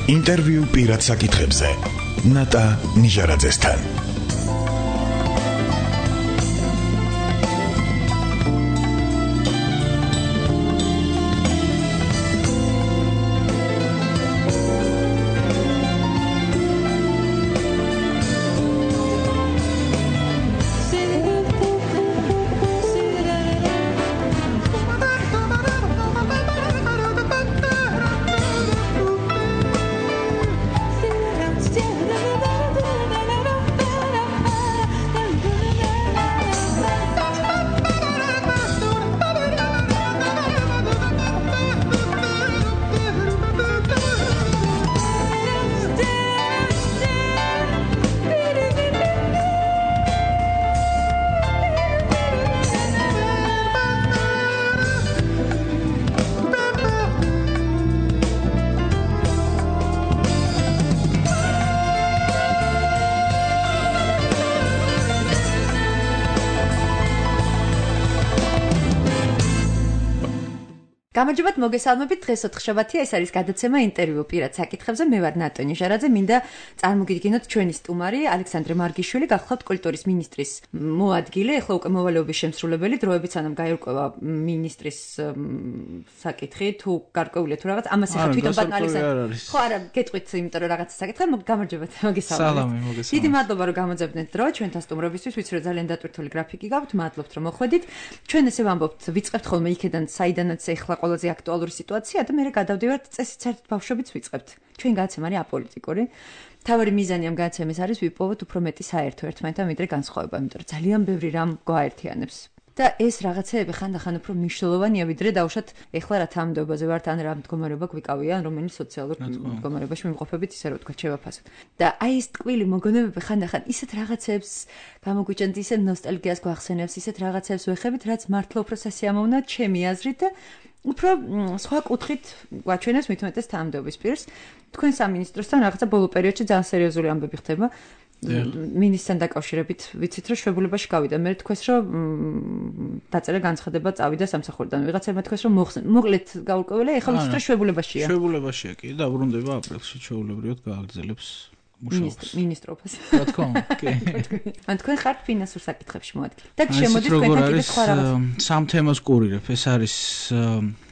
ინტერვიუ პირად საკითხებზე ნატა ნიჟარაძესთან. გამარჯობათ, მოგესალმებით. დღეს 4 შაბათია, ეს არის გადაცემა ინტერვიუ პირად საკითხებზე. მე ვარ ნატა ნიჟარაძე. მინდა წარმოგიდგინოთ ჩვენი სტუმარი ალექსანდრე მარგიშვილი, გახლავთ კულტურის მინისტრის მოადგილე, ეხლა უკვე მოვალეობის შემსრულებელი, დროებით სანამ გაირკვევა მინისტრის საკითხი, თუ გარკვეულია თუ რაღაც, ამას ახლა თვითონ ბატონ ალექსანდრე. ხო, არა, გეტყვით, იმიტომ რომ რაღაცა საკითხი, გამარჯობათ, მოგესალმებით. სალამი, მოგესალმებით. დიდი მადლობა, რომ გამოძებნეთ დრო ჩვენთან სტუმრობისთვის, ვიცი რომ ძალიან დატვირთული გრაფიკი გაქვთ, მადლობთ რომ მოხვედით. ჩვენ ესე ვამბობთ, ვიწყებთ ხოლმე იქედან, საიდანაც ეხლა ყველაზე აქტუალური სიტუაცია და მე გადავდივართ წესით საერთოდ ბავშვებიც ვიწყებთ. ჩვენ გადაცემა არის აპოლიტიკური. თავარი მიზანი ამ გადაცემის არის ვიპოვოთ უფრო მეტი საერთო ერთმანეთთან ვიდრე განსხვავება, იმიტომ რომ ძალიან ბევრი რამ გვაერთიანებს. და ეს რაღაცეები ხანდახან უფრო მნიშვნელოვანია ვიდრე დავუშვათ ეხლა რა თანამდებობაზე ვართ ან რა მდგომარეობა გვიკავია ან რომელი სოციალურ მდგომარეობაში ვიმყოფებით ისე რომ თქვა შევაფასოთ. და აი ეს ტკბილი მოგონებები ხანდახან ისეთ რაღაცებს გამოგვიჭენთ, ისე ნოსტალგიას გვახსენებს, ისეთ რაღაცებს ვეხებით, რაც მართლა უფრო სასიამოვნოა ჩემი აზრით და უფრო სხვა კუთხით გვაჩვენებს მით უმეტეს თანამდებობის პირს. თქვენ სამინისტროსთან რაღაცა ბოლო პერიოდში ძალიან სერიოზული ამბები ხდება. მინისტრთან დაკავშირებით ვიცით რომ შვებულებაში გავიდა. მე თქვენს რომ დაწერა განცხადება წავიდა სამსახურიდან. ვიღაცებმა თქვენს რომ მოკლედ გაურკვეველი, ეხლა ვიცით რომ შვებულებაშია. შვებულებაშია კი, დაბრუნდება აპრილში ჩვეულებრივად გააგრძელებს მუშაობას. მინისტრობას. რა თქმა უნდა, კი. ან თქვენ ხართ ფინანსურ საკითხებში მოადგილე. და შემოდით თქვენთან კიდე სხვა რაღაც. სამ თემას ყურირებ. ეს არის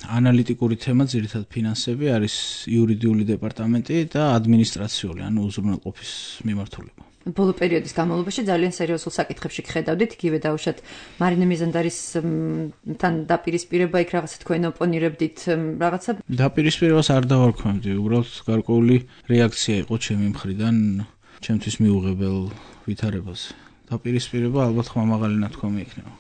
ანალიტიკური თემა, ძირითადად ფინანსები, არის იურიდიული დეპარტამენტი და ადმინისტრაციული, ანუ უზრუნველყოფის მიმართულება. ბოლო პერიოდის განმავლობაში ძალიან სერიოზულ საკითხებში ხედავდით, იგივე დავუშვათ მარინე მიზანდარისთან დაპირისპირება, იქ რაღაცა თქვენ ოპონირებდით, რაღაცა დაპირისპირებას არ დავარქვევდი, უბრალოდ გარკვეული რეაქცია იყო ჩემი მხრიდან, ჩემთვის მიუღებელ ვითარებაზე. დაპირისპირება ალბათ ხმამაღალი ნათქვამი იქნება.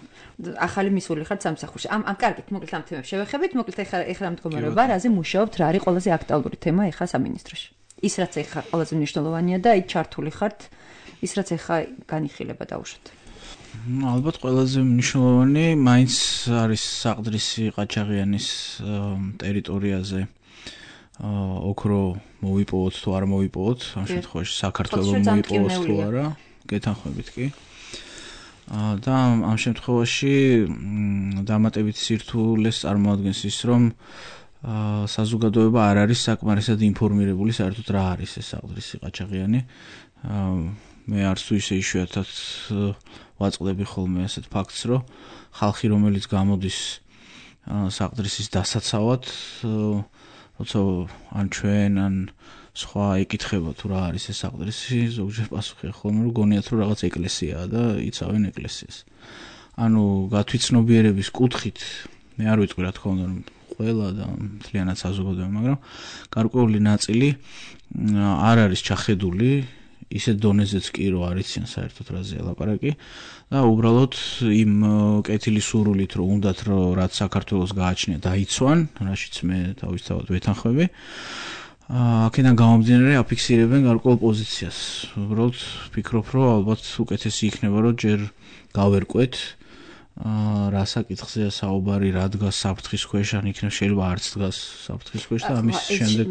ახალი მისული ხართ სამსახურში. ამ კარგით, მოკლედ ამ თემებს შევეხებით, მოკლედ ეხლა მდგომარეობა, რაზე მუშაობთ, რა არის ყველაზე აქტუალური თემა ეხლა სამინისტროში. ის რაც ეხლა ყველაზე მნიშვნელოვანია და აი ჩართული ხართ ის რაც ეხლა განიხილება დაუშვათ. ალბათ ყველაზე მნიშვნელოვანი მაინც არის საყდრისი ყაჩაღიანის ტერიტორიაზე ოქრო მოვიპოვოთ თუ არ მოვიპოვოთ, ამ შემთხვევაში საქართველოს მოვიპოვოთ თუ არა, გეთანხმებით კი. და ამ შემთხვევაში დამატებით სირთულეს წარმოადგენს ის, რომ საზოგადოება არ არის საკმარისად ინფორმირებული საერთოდ რა არის ეს საყდრისი ყაჩაღიანი. მე არც თუ ისე იშვიათად ვაწყდები ხოლმე ასეთ ფაქტს, რომ ხალხი რომელიც გამოდის საყდრისის დასაცავად, როცა ან ჩვენ ან სხვა ეკითხება თუ რა არის ეს საყდრისი, ზოგჯერ პასუხია ხოლმე რომ გონიათ რომ რაღაც ეკლესიაა და იცავენ ეკლესიას. ანუ გათვითცნობიერების კუთხით მე არ ვიტყვი რა თქმა უნდა ყველა და მთლიანად საზოგადოება, მაგრამ გარკვეული ნაწილი არ არის ჩახედული ისეთ დონეზეც კი რომ არ იციან საერთოდ რაზეა ლაპარაკი და უბრალოდ იმ კეთილი სურვილით რომ უნდათ რომ რაც საქართველოს გააჩნია დაიცვან, რაშიც მე თავისთავად ვეთანხმები. აქედან გამომდინარე აფიქსირებენ გარკვეულ პოზიციას. უბრალოდ ვფიქრობ რომ ალბათ უკეთესი იქნება რომ ჯერ გავერკვეთ რა საკითხზეა საუბარი, რა დგას საფრთხის ქვეშ, ან იქნებ შეიძლება არც დგას საფრთხის ქვეშ და ამის შემდეგ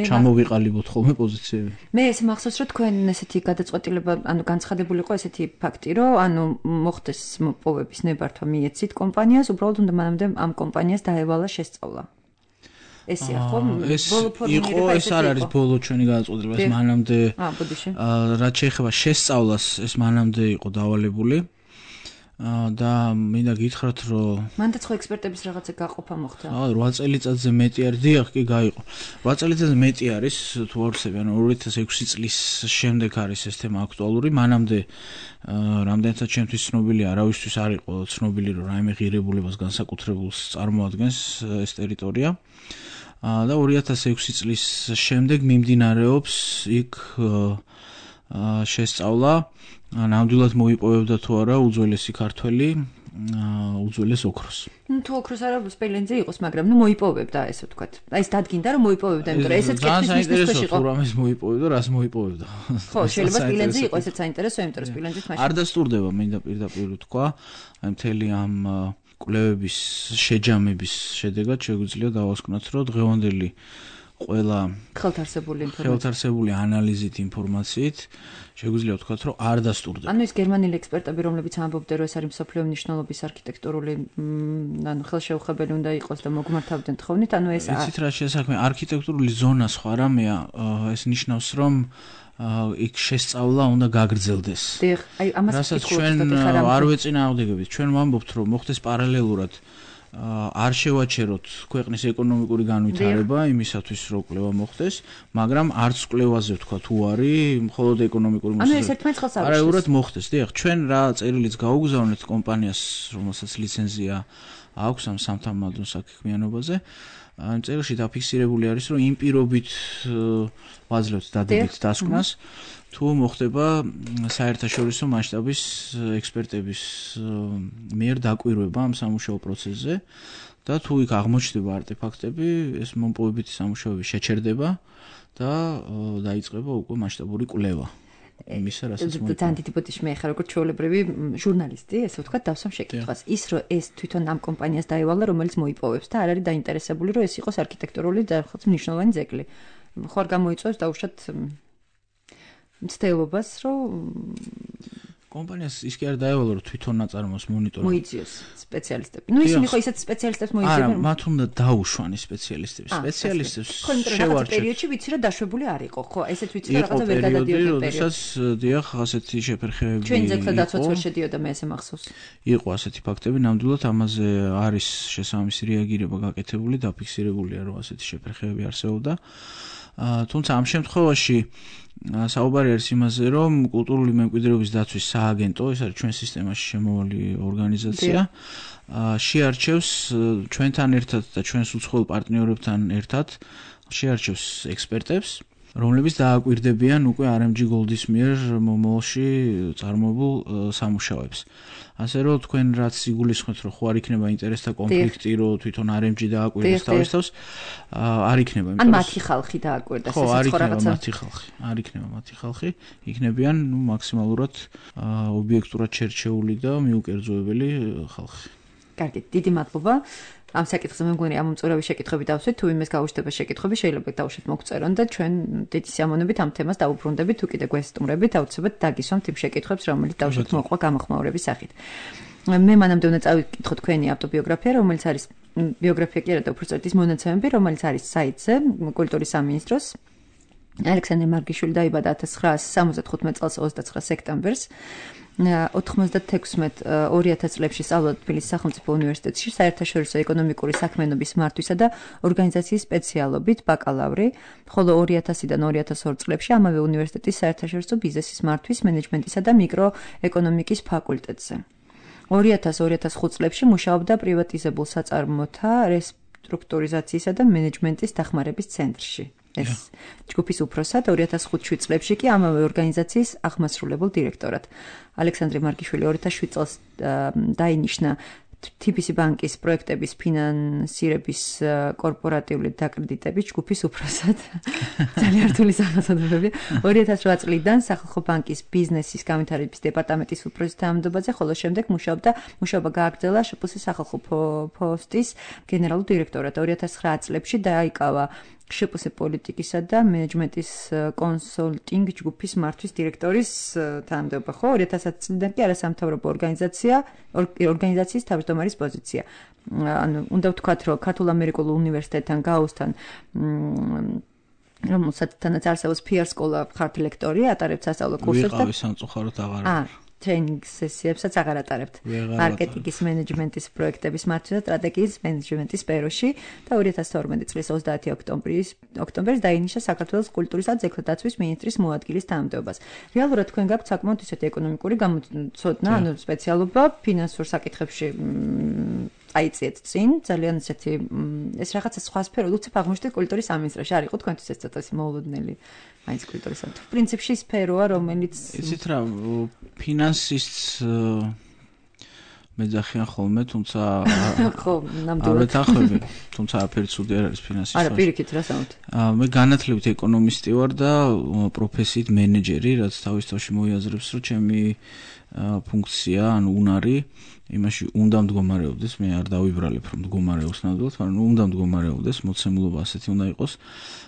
ჩამოვიყალიბოთ ხოლმე პოზიციები. მე ეს მახსოვს რომ თქვენ ესეთი გადაწყვეტილება, ანუ განცხადებული იყო ესეთი ფაქტი, რომ ანუ მოხდეს მოპოვების ნებართვა მიეცით კომპანიას, უბრალოდ უნდა მანამდე ამ კომპანიას დაევალა შესწავლა. ესია ხო? ბოლო ფორმირება ეს არ არის ბოლო ჩვენი გადაწყვეტილება, ეს მანამდე ბოდიში. რაც შეეხება შესწავლას, ეს მანამდე იყო დავალებული. და მინდა გითხრათ, რომ მანდაც ხო ექსპერტების რაღაცა გაყოფა მოხდა. 8 წელიწადზე მეტი არის, დიახ, კი გაიყო. 8 წელიწადზე მეტი არის თუ ვორცები, ანუ 2006 წლის შემდეგ არის ეს თემა აქტუალური. მანამდე რამდენიცაც ჩემთვის ცნობილია, არავისთვის არ იყო ცნობილი, რომ რაიმე ღირებულებას განსაკუთრებულს წარმოადგენს ეს ტერიტორია. და 2006 წლის შემდეგ მიმდინარეობს იქ შესწავლა ნამდვილად მოიპოვებდა თუ არა უძველესი ქართველი უძველეს ოქროს. თუ ოქროს არა სპილენძე იყოს, მაგრამ მოიპოვებდა ესე ვთქვათ. აი ეს დადგინდა რომ მოიპოვებდა, იმიტომ რომ ესეც კითხვის მიზნით იყო. თუ რამეს მოიპოვებდა, რას მოიპოვებდა. ხო, შეიძლება სპილენძე იყოს, ესეც საინტერესოა, იმიტომ რომ სპილენძით მაშინ არ დასტურდება, მინდა პირდაპირ ვთქვა, აი მთელი ამ კვლევების შეჯამების შედეგად შეგვიძლია დავასკვნათ, რომ დღევანდელი ყველა ხელთარსებული ანალიზით, ინფორმაციით შეგვიძლია ვთქვათ, რომ არ დასტურდება. ანუ ის გერმანელი ექსპერტები, რომლებიც ამბობდნენ, რომ ეს არის მსოფლიო მნიშვნელობის არქიტექტურული ანუ ხელშეუხებელი უნდა იყოს და მოგმართავდნენ თხოვნით, ანუ ეს იცით რა შესაქმე, არქიტექტურული ზონა სხვა რამეა, ეს ნიშნავს, რომ იქ შესწავლა უნდა გაგრძელდეს. დიახ, აი ამას რასაც ჩვენ არ ვეწინააღმდეგებით, ჩვენ ვამბობთ, რომ მოხდეს პარალელურად არ შევაჩეროთ ქვეყნის ეკონომიკური განვითარება იმისათვის, რომ კვლევა მოხდეს, მაგრამ არც კვლევაზე ვთქვა თუ არის მხოლოდ ეკონომიკური მოსაზრება. ანუ ეს ერთმანეთს ხელს არ უარს მოხდეს. დიახ, ჩვენ რა წერილიც გაუგზავნეთ კომპანიას, რომელსაც ლიცენზია აქვს ამ სამთამადო საქმიანობაზე. ამ წერილში დაფიქსირებული არის, რომ იმ პირობით ვაძლევთ დადებით დასკვნას, თუ მოხდება საერთაშორისო მასშტაბის ექსპერტების მიერ დაკვირვება ამ სამუშაო პროცესზე და თუ იქ აღმოჩნდება არტეფაქტები, ეს მომპოვებითი სამუშაოები შეჩერდება და დაიწყება უკვე მასშტაბური კვლევა. იმისა, რასაც ძალიან დიდი ბოდიში მე ხარ როგორც ჩვეულებრივი ჟურნალისტი, ესე ვთქვათ, დავსვამ შეკითხვას. ის რომ ეს თვითონ ამ კომპანიას დაევალა, რომელიც მოიპოვებს და არ არის დაინტერესებული, რომ ეს იყოს არქიტექტურული და რაღაც მნიშვნელოვანი ძეგლი. ხო არ გამოიწვევს დაუშვათ მცდელობას, რომ კომპანიას ის კი არ დაევალა, რომ თვითონ ნაწარმოებს მონიტორინგს. მოიძიოს სპეციალისტები. ნუ ისინი ხო ისეთ სპეციალისტებს მოიძიებენ. არა, მათ უნდა დაუშვან ის სპეციალისტები. სპეციალისტებს შევარჩევთ. პერიოდში ვიცი რომ დაშვებული არ იყო, ხო? ესეც ვიცი რომ რაღაცა ვერ გადადიოდა პერიოდი. როდესაც დიახ, ასეთი შეფერხებები. ჩვენი ძეგლთა დაცვაც ვერ შედიოდა, მე ესე მახსოვს. იყო ასეთი ფაქტები, ნამდვილად ამაზე არის შესაბამისი რეაგირება გაკეთებული, დაფიქსირებულია, რომ ასეთი შეფერხებები არსებობდა. თუმცა ამ შემთხვევაში საუბარი არის იმაზე, რომ კულტურული მემკვიდრეობის დაცვის სააგენტო, ეს არის ჩვენ სისტემაში შემოვალი ორგანიზაცია, შეარჩევს ჩვენთან ერთად და ჩვენს უცხოელ პარტნიორებთან ერთად შეარჩევს ექსპერტებს, რომლებიც დააკვირდებიან უკვე RMG Gold-ის მიერ მომავალში წარმოებულ სამუშაოებს. ასე რომ თქვენ რაც იგულისხმეთ, რომ ხო არ იქნება ინტერესთა კონფლიქტი, რომ თვითონ RMG დააკვირდეს თავის თავს, არ იქნება. ან მათი ხალხი დააკვირდეს ესეც ხო რაღაცა. არ იქნება მათი ხალხი, იქნებიან მაქსიმალურად ობიექტურად შერჩეული და მიუკერძოებელი ხალხი. კარგი, დიდი მადლობა. ამ საკითხზე მე მგონი ამ უმწურავი შეკითხვები დავსვით, თუ იმეს გაუშვება შეკითხვები, შეიძლება დავუშვით მოგწერონ და ჩვენ დიდი სიამოვნებით ამ თემას დავუბრუნდებით, თუ კიდე გვესტუმრებით, აუცილებლად დაგისვამთ იმ შეკითხვებს, რომელიც დავუშვით მოყვა გამოხმაურების სახით. მე მანამდე უნდა წავიკითხო თქვენი ავტობიოგრაფია, რომელიც არის ბიოგრაფია კი არა და უბრალოდ ის მონაცემები, რომელიც არის საიტზე, კულტურის სამინისტროს. ალექსანდრე მარგიშვილი დაიბადა 1975 წელს 29 სექტემბერს. 96-2000 წლებში სწავლობდა თბილისის სახელმწიფო უნივერსიტეტში საერთაშორისო ეკონომიკური საქმიანობის მართვისა და ორგანიზაციის სპეციალობით ბაკალავრი, ხოლო 2000-დან 2002 წლებში ამავე უნივერსიტეტის საერთაშორისო ბიზნესის მართვის, მენეჯმენტისა და მიკროეკონომიკის ფაკულტეტზე. 2000-2005 წლებში მუშაობდა პრივატიზებულ საწარმოთა რესტრუქტურიზაციისა და მენეჯმენტის დახმარების ცენტრში. ეს ჯგუფის უფროსად 2005 წლებში კი ამავე ორგანიზაციის აღმასრულებელ დირექტორად. ალექსანდრე მარგიშვილი 2007 წელს დაინიშნა TBC ბანკის პროექტების ფინანსირების კორპორატიული დაკრედიტების ჯგუფის უფროსად. ძალიან რთული სახელწოდებებია. 2008 წლიდან სახალხო ბანკის ბიზნესის განვითარების დეპარტამენტის უფროსის თანამდებობაზე, ხოლო შემდეგ მუშაობა გააგრძელა შპს სახალხო ფოსტის გენერალურ დირექტორად. 2009 წლებში დაიკავა შპს პოლიტიკისა და მენეჯმენტის კონსულტინგ ჯგუფის მართვის დირექტორის თანამდებობა, ხო? 2010 წლიდან კი არასამთავრობო ორგანიზაციის თავმჯდომარის პოზიცია. ანუ უნდა ვთქვათ, რომ ქართულ-ამერიკულ უნივერსიტეტთან გაუსთან რომელსაც არსებობს PR სკოლა ხართ ლექტორი, ატარებთ სასწავლო კურსებს და ვიყავი სამწუხაროდ აღარ ტრეინინგ სესიებსაც აღარ ატარებთ. მარკეტინგის მენეჯმენტის პროექტების მართვის და სტრატეგიის მენეჯმენტის სფეროში და 2012 წლის 30 ოქტომბერს დაინიშნა საქართველოს კულტურისა და ძეგლდაცვის მინისტრის მოადგილის თანამდებობას. რეალურად თქვენ გაქვთ საკმაოდ ისეთი ეკონომიკური გამოცდნა, ანუ სპეციალობა ფინანსურ საკითხებში აიწიეთ წინ, ძალიან ისეთი ეს რაღაცა სხვა სფერო, უცებ აღმოჩნდით კულტურის სამინისტროში, არ იყო თქვენთვის ეს ცოტა მოულოდნელი მაინც კულტურის სამინისტრო. პრინციპში სფეროა, რომელიც იცით რა, ფინანსის მეძახიან ხოლმე, თუმცა ხო, ნამდვილად. არ ვეთანხმები, თუმცა არაფერი ცუდი არ არის ფინანსის. არა, პირიქით რა სამოთ. მე განათლებით ეკონომისტი ვარ და პროფესიით მენეჯერი, რაც თავის თავში მოიაზრებს, რომ ჩემი ფუნქცია, ანუ უნარი იმაში უნდა მდგომარეობდეს, მე არ დავიბრალებ რომ მდგომარეობს ნამდვილად, მაგრამ უნდა მდგომარეობდეს, მოცემულობა ასეთი უნდა იყოს,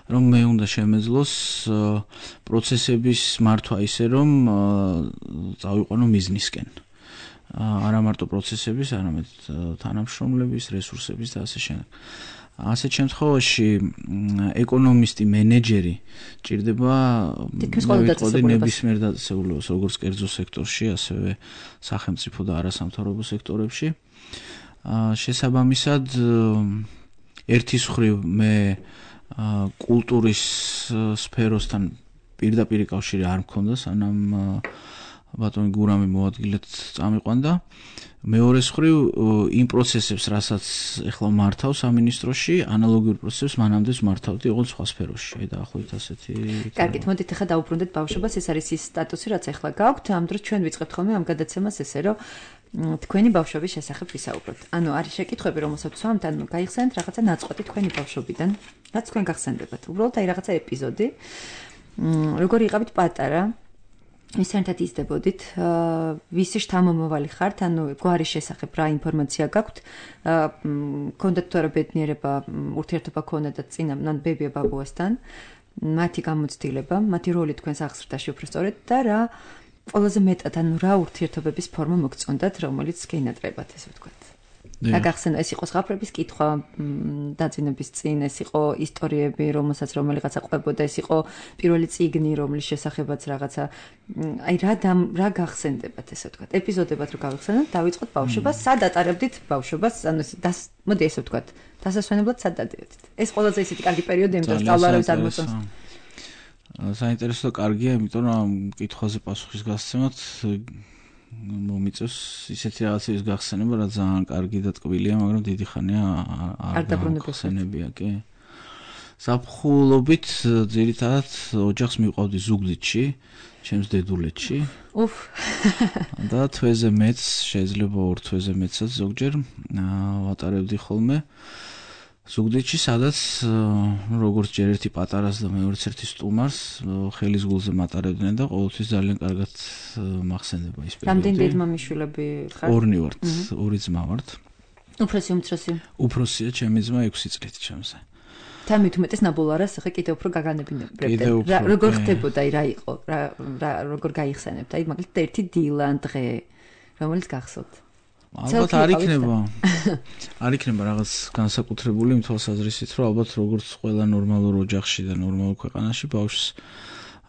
რომ მე უნდა შემეძლოს პროცესების მართვა ისე, რომ წავიყვანო მიზნისკენ. არა მარტო პროცესების, არამედ თანამშრომლების, რესურსების და ასე შემდეგ. ასეთ შემთხვევაში ეკონომისტი, მენეჯერი ჭირდება ნებისმიერ დაწესებულებას, როგორც კერძო სექტორში, ასევე სახელმწიფო და არასამთავრობო სექტორებში. შესაბამისად, ერთის მხრივ მე კულტურის სფეროსთან პირდაპირ კავშირი არ მქონდა, სანამ ბატონი გურამი მოადგილედ წამიყვანდა. მეორეს მხრივ იმ პროცესებს, რასაც ეხლა მართავ სამინისტროში, ანალოგიურ პროცესებს მანამდეც მართავდი, ოღონდ სხვა სფეროში. აი დაახლოებით ასეთი. კარგით, მოდით ახლა დავუბრუნდეთ ბავშვობას, ეს არის ის სტატუსი, რაც ახლა გაქვთ. ამ დროს ჩვენ ვიწყებთ ხოლმე ამ გადაცემას ესე, რომ თქვენი ბავშვობის შესახებ ვისაუბროთ. ანუ არის შეკითხვები, რომელსაც ვსვამთ, ანუ გაიხსენეთ რაღაცა ნაწყვეტი თქვენი ბავშვობიდან, რაც თქვენ გახსენდებათ. უბრალოდ აი რაღაცა ეპიზოდი. როგორი იყავით პატარა? ვისენთად იზრდებოდით, ვისი შთამომავალი ხართ, ანუ გვარის შესახებ რა ინფორმაცია გაქვთ, გქონდათ თუ არა ბედნიერება, ურთიერთობა გქონდათ წინამ, ან ბებია ბაბუასთან, მათი გამოცდილება, მათი როლი თქვენს აღზრდაში უფრო სწორედ და რა ყველაზე მეტად, ანუ რა ურთიერთობების ფორმა მოგწონდათ, რომელიც გენატრებათ, ესე ვთქვათ. და გახსენდა ეს იყო ზღაპრების კითხვა დაძინების წინ, ეს იყო ისტორიები, რომელიღაცა ყვებოდა, ეს იყო პირველი წიგნი, რომლის შესახებაც რაღაცა აი რა გახსენდებათ, ესე ვთქვათ. ეპიზოდებად რო გავიხსენოთ, დავიწყოთ ბავშვობას, სად ატარებდით ბავშვობას, ანუ მოდი ესე ვთქვათ, დასასვენებლად სად დადიოდით. ეს ყველაზე ისეთი კარგი პერიოდი, იმიტომ რომ სწავლა არავის არ მოწონს. საინტერესო და კარგია, იმიტომ რომ კითხვაზე პასუხის გასცემად მომიწევს ისეთი რაღაცების გახსენება, რა ძალიან კარგი და ტკბილია, მაგრამ დიდი ხანია არ დაბრუნებია, კი. ზაფხულობით ძირითადად ოჯახს მივყავდი ზუგდიდში, ჩემს დედულეთში. და თვეზე მეც, შეიძლება 2 თვეზე მეცაც ზოგჯერ ვატარებდი ხოლმე. ზუგდიდში, სადაც როგორც ჯერ ერთი პატარას და მეორეც ერთი სტუმარს ხელის გულზე მატარებდნენ და ყოველთვის ძალიან კარგად მახსენდება ის პერიოდი. რამდენი დედმამიშვილები ხართ? 2 ვართ, 2 ძმა ვართ. უფროსი, უმცროსი? უფროსია ჩემი ძმა 6 წლით ჩემზე. და მით უმეტეს ნაბოლარას ახლა კიდევ უფრო გაგანებინებდეთ. როგორ ხდებოდა, აი რა იყო, როგორ გაიხსენებთ? აი მაგალითად ერთი დილა დღე, რომელიც გახსოვთ? ალბათ არ იქნება რაღაც განსაკუთრებული იმ თვალსაზრისით, რომ ალბათ როგორც ყველა ნორმალურ ოჯახში და ნორმალურ ქვეყანაში ბავშვს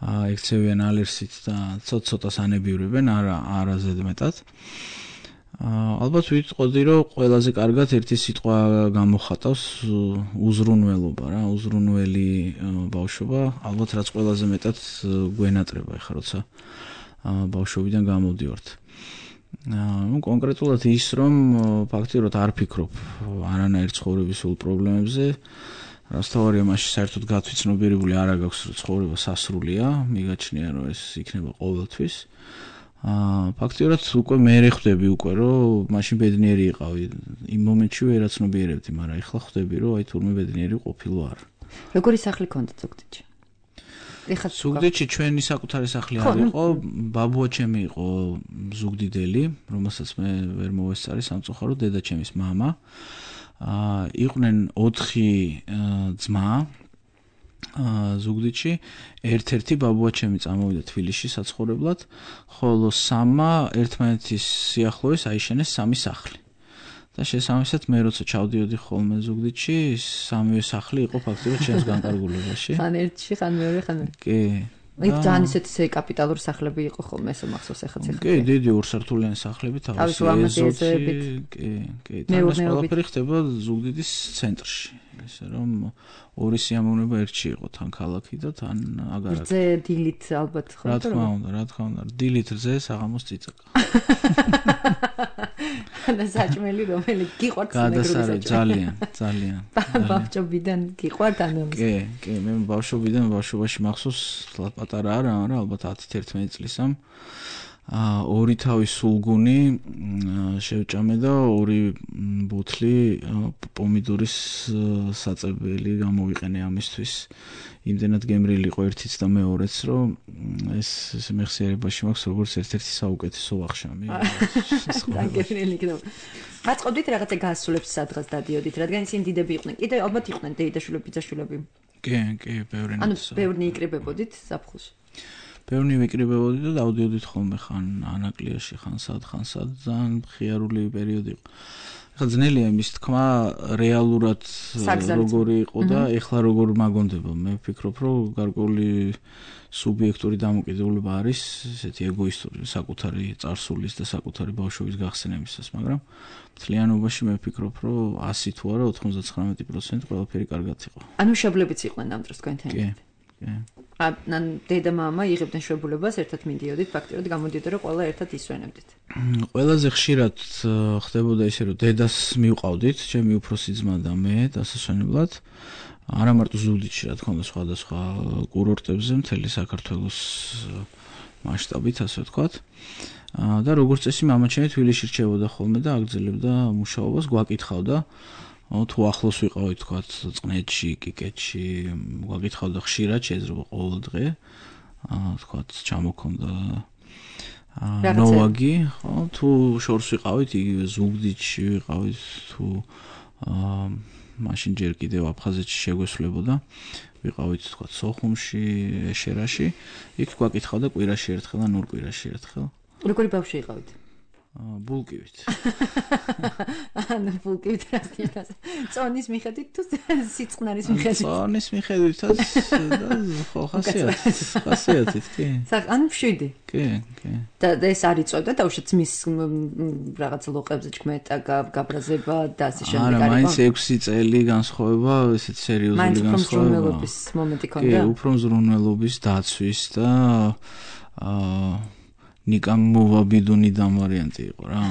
ექცევიან ალერსით და ცოტ-ცოტას ანებივრებენ, არა ზედმეტად. ალბათ ვიტყოდი, რომ ყველაზე კარგად ერთი სიტყვა გამოხატავს უზრუნველობა რა, უზრუნველი ბავშვობა, ალბათ რაც ყველაზე მეტად გვენატრება ეხლა როცა ბავშვობიდან გამოდივართ. კონკრეტულად ის, რომ ფაქტიურად არ ფიქრობ არანაირ ცხოვრებისულ პრობლემებზე, რასთავარია მაშინ საერთოდ გათვითცნობიერებული არ აქვს, რომ ცხოვრება სასრულია, მიგაჩნია, რომ ეს იქნება ყოველთვის. ფაქტიურად უკვე მე ხვდები უკვე, რომ მაშინ ბედნიერი იყავი. იმ მომენტში ვერაცნობიერებდი, მაგრამ ეხლა ხვდები, რომ აი თურმე ბედნიერი ყოფილო არ. როგორი სახლი გქონდათ ზუგდიდში? ზუგდიდში ჩვენი საკუთარი სახლი არ იყო, ბაბუა ჩემი იყო ზუგდიდელი, რომელსაც მე ვერ მოვესწარი სამწუხაროდ, დედა ჩემის მამა. იყვნენ 4 ძმა, ზუგდიდში ერთ-ერთი ბაბუაჩემი წამოვიდა თბილისში საცხოვრებლად, ხოლო სამმა ერთმანეთის სიახლოვეს აიშენეს სამი სახლი. და შესაბამისად მე როცა ჩავდიოდი ხოლმე ზუგდიდში, სამივე სახლი იყო ფაქტობრივად ჩემს განკარგულებაში. ხან ერთში, ხან მეორე, ხან ერთი. კი. იქ ძალიან ისეთი კაპიტალური სახლები იყო ხოლმე, ესე მახსოვს ახაც ახლა. კი, დიდი ორსართულიანი სახლები თავისი ეზოთი, კი. ეს ყველაფერი ხდება ზუგდიდის ცენტრში. ესე რომ ორი სიამოვნება ერთში იყო, თან ქალაქი და თან აგარაკი. რძე დილით ალბათ ხო? რა თქმა უნდა, დილით რძე საღამოს წიწაკა. და საჭმელი რომელი გიყვართ გადასარევ ძალიან. ბავშვობიდან გიყვართ ანუ? კი, მე ბავშვობაში მახსოვს, პატარა არა, ალბათ 10-11 წლისამ. ორი თავის სულგუნი შევჭამე და ორი ბუთლი პომიდორის საწებელი გამოვიყენე ამისთვის. იმდენად გემრიელი იყო ერთიც და მეორეც, რომ ეს მეხსიერებაში მაქვს როგორც ერთ-ერთი საუკეთესო ვახშამი. გემრიელი იქნება. გაწყობდით რაღაცა გასულებს სადღაც დადიოდით, რადგან ისინი დიდები იყვნენ. კიდე ალბათ იყვნენ დეიდაშვილები, ბიძაშვილები. კი, ბევრნი. ანუ ბევრნი იკრიბებოდით ზაფხულში. ბევრნი ვიკრიბებოდი და დავდიოდით ხოლმე ხან ანაკლიაში, ხან სად, ძალიან მხიარული პერიოდი იყო. ხა ძნელია იმის თქმა, რეალურად როგორი იყო და ეხლა როგორ მაგონდება. მე ვფიქრობ, რომ გარკვეული სუბიექტური დამოკიდებულება არის, ესეთი ეგოისტური, საკუთარი წარსულის და საკუთარი ბავშვობის გახსნებისას, მაგრამ მთლიანობაში მე ვფიქრობ, რომ 100 თუ არა 99% ყველაფერი კარგად იყო. ანუ მშობლებიც იყვნენ ამ დროს თქვენთან. კი. ან დედა მამა იღებდნენ შვებულებას, ერთად მიდიოდით, ფაქტობრივად გამოდიოდა, რომ ყველა ერთად ისვენებდით. ყველაზე ხშირად ხდებოდა ისე, რომ დედას მივყავდით, ჩემი უფროსი ძმა და მე დასასვენებლად. არა მარტო ზუგდიდში, რა თქმა უნდა, სხვადასხვა კურორტებზე, მთელი საქართველოს მასშტაბით, ასე ვთქვათ. და როგორც წესი, მამა ჩემი თბილისში რჩებოდა ხოლმე და აგრძელებდა მუშაობას, გვაკითხავდა თუ ახლოს ვიყავით, თქვათ, წყნეთში, კიკეთში, გვაკითხავდა ხშირად, შეიძლება ყოველ დღე, თქვათ, ჩამოქონდა ნოვაგი, ხო, თუ შორს ვიყავით, იგივე ზუგდიდში ვიყავით, თუ მაშინ ჯერ კიდევ აფხაზეთში შეგვესვლებოდა, ვიყავით, თქვათ, სოხუმში, ეშერაში, იქ გვაკითხავდა კვირაში ერთხელ ან ორ კვირაში ერთხელ. როგორი ბავშვი იყავით? ბულკივით. ანუ ბულკივით რასტინას. წონის მიხედვით თუ სიწყნარის მიხედვით? წონის მიხედვითაც ხო ხასიათით, კი. ანუ 7. კი. და ეს არ იწევდა დაუშვათ ძმის რაღაც ლოყებზე ჩქმეტა, გაბრაზება და ასე შემდეგ არა, მაინც 6 წელი განსხვავება, ესეთ სერიოზული განსხვავება. მაინც მზრუნველობის მომენტი ქონდა? კი, უფრო მზრუნველობის დაცვის და ნიკამ მოვაბიდუნიდან ვარიანტი იყო რა.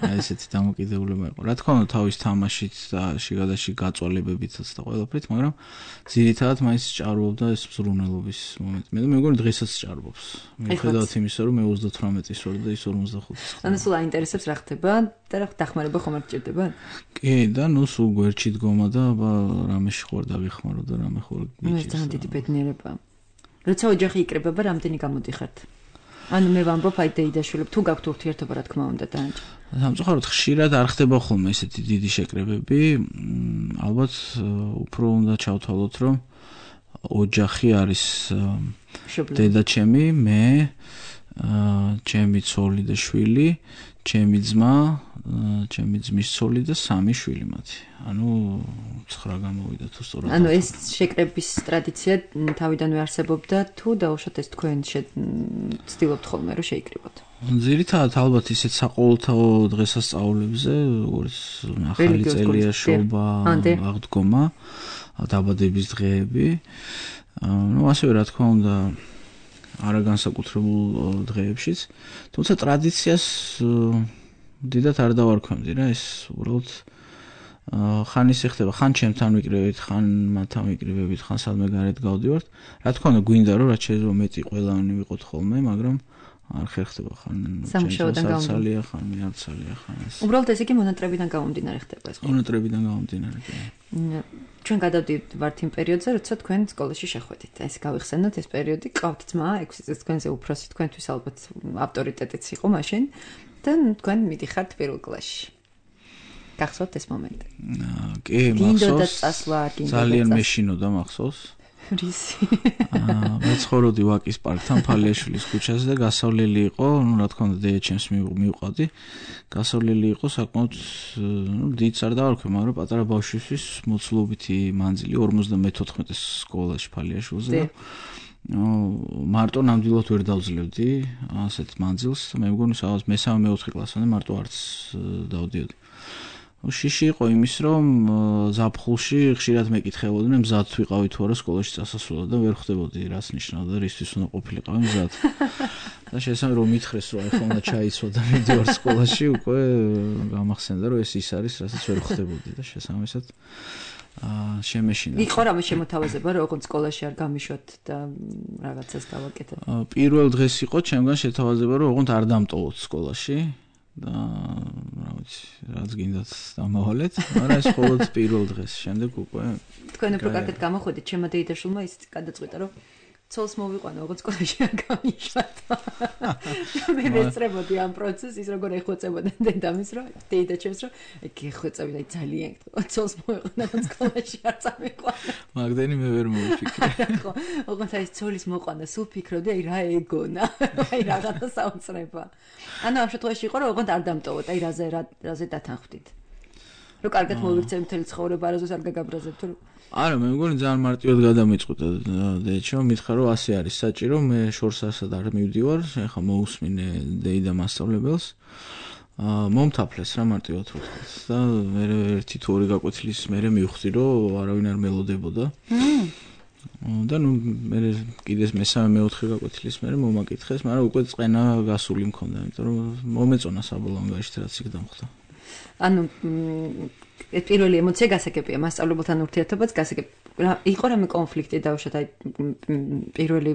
აი ესეთი დამოკიდებულება იყო. რა თქმა უნდა, თავის თამაშით და შიგადაში გაწვალებებითაც და ყველაფრით, მაგრამ ძირითადად მაინც ჭარბობდა ეს მზრუნველობის მომენტი. მე მეგონი დღესაც ჭარბობს. მიუხედავად იმისა, რომ მე 38-ის ვარ და ის 45-ის. ანუ სულ აინტერესებს რა ხდება და რა დახმარება ხომ არ გჭირდება? კი, და ნუ სულ გვერდში დგომა და რამეში ხوار დაგეხმარო და რამე ხوار გიჭირს. ეს ძალიან დიდი ბედნიერება. როცა ოჯახი იკრიბება, რამდენი გამოდიხართ? ანუ მე ვამბობ, აი დეიდაშვილები, თუ გაქვთ ურთიერთობა, რა თქმა უნდა, დაანჭა. სამწუხაროდ ხშირად არ ხდება ხოლმე ესეთი დიდი შეკრებები. ალბათ უფრო უნდა ჩავთვალოთ, რომ ოჯახი არის დედაჩემი, მე, ჩემი ცოლი და შვილი, ჩემი ძმა, ჩემი ძმის ცოლი და 3 შვილი მათი. ანუ 9 გამოვიდა თუ სწორად. ანუ ეს შეკრების ტრადიცია თავიდანვე არსებობდა თუ დაუშვათ ეს თქვენ ცდილობთ ხოლმე რომ შეიკრიბოთ? ძირითადად ალბათ ისეთ საყოველთაო დღესასწაულებზე, როგორც ახალი წელია-შობა, აღდგომა, დაბადების დღეები. ნუ ასევე რა თქმა უნდა არა განსაკუთრებულ დღეებშიც, თუმცა ტრადიციას დიდად არ დავარქვევდი რა, ეს უბრალოდ ხან ისე ხდება, ხან ჩემთან ვიკრიბებით, ხან მათთან ვიკრიბებით, ხან სადმე გარეთ გავდივართ. რა თქმა უნდა, გვინდა რომ რაც შეიძლება მეტი ყველანი ვიყოთ ხოლმე, მაგრამ არ ხერხდება ხან ჩემთანცალია, ხან მეარცალია, ხან ეს. უბრალოდ ეს იგი მონატრებიდან გამომდინარე ხდება ეს. მონატრებიდან გამომდინარე, კი. ჩვენ გადავდივართ იმ პერიოდზე, როცა თქვენ სკოლაში შეხვედით. ეს გავიხსენოთ ეს პერიოდი, ყავთ ძმა, 6 წლის თქვენზე უფროსი, თქვენთვის ალბათ ავტორიტეტიც იყო მაშინ და თქვენ მიდიხართ პირველ კლასში. გახსოვთ ეს მომენტი? კი, მახსოვს. ძალიან მეშინოდა მახსოვს. რისი? მე ცხოვრობდი ვაკის პარკთან ფალიაშვილის ქუჩაზე და გასავლელი იყო, რა თქმა უნდა დეიჩემს მივყავდი. გასავლელი იყო საკმაოდ დიდ არ დავარქვი, მაგრამ პატარა ბავშვისთვის მოცულობითი მანძილი 54 სკოლაში ფალიაშვილზე და მარტო ნამდვილად ვერ დავძლებდი ასეთ მანძილს, მე მგონი სადღაც მე-3-4 კლასამდე მარტო არც დავდიოდი. შიში იყო იმის, რომ ზაფხულში ხშირად მეკითხებოდნენ, მზად ვიყავი თუ არა სკოლაში წასასვლელად და ვერ ხვდებოდი, რაც ნიშნავდა, რისთვის უნდა ყოფილიყავი მზად. და შესაძლოა რომ მითხრეს, რომ ახლა უნდა ჩაიცვა და მიდივარ სკოლაში, უკვე გამახსენდა, რომ ეს ის არის, რასაც ვერ ხვდებოდი და შესაბამისად შემეშინა. იყო რამე შემოთავაზება, რომ ოღონდ სკოლაში არ გამიშვათ და რაღაცას გავაკეთოთ. პირველ დღეს იყო ჩემგან შეთავაზება, რომ ოღონდ არ დამტოვოთ სკოლაში. და რა ვიცი, რაც გინდათ დამავალეთ, მაგრამ ეს მხოლოდ პირველ დღეს, შემდეგ უკვე თქვენ უფრო კარგად გამოხვედით, ჩემმა დეიდაშვილმა ის გადაწყვიტა, რომ ცოლს მოვიყვანო, ოღონდ სკოლაში არ გამიშვათ. მე მეწრებოდი ამ პროცესს, ის როგორ ეხვეწებოდა დედამის, რომ დეიდაჩემს, რომ გეხვეწები და ძალიან ცოლს მოვიყვანო, ოღონდ სკოლაში არ წამიყვანო. მაგდენი მე ვერ მოვიფიქრე. ხო, ოღონდ აი ცოლის მოყვანა, სულ ფიქრობდი, აი რა ეგონა, აი რაღაცა საოცრება. ანუ ამ შემთხვევაში იყო, რომ ოღონდ არ დამტოვოთ, აი რაზე დათანხმდით. რომ კარგად მოვიქცევ მთელი ცხოვრება, არასდროს არ გაგაბრაზებთ, რომ არა, მე მგონი ძალიან მარტივად გადამიწყვიტა დედჩო, მითხრა რომ ასე არის საჭირო, მე შორს ასად არ მივდივარ, ეხლა მოусმინე დეიდა მასწავლებელს. მომთაფლეს რა მარტივად ვთქვათ და მე ერთი თუ ორი გაკვეთილის მერე მივხვდი, რომ არავინ არ მელოდებოდა. და ნუ მე კიდეს მე-3-4 გაკვეთილის მერე მომაკითხეს, მაგრამ უკვე წენა გასული მქონდა, იმიტომ რომ მომეწონა საბოლოო ანგარიშით რაც იქ დამხდა. ანუ ეს პირველი ემოცია გასაგებია, მასწავლებელთან ურთიერთობაც გასაგები. იყო რამე კონფლიქტი დაუშვათ აი პირველი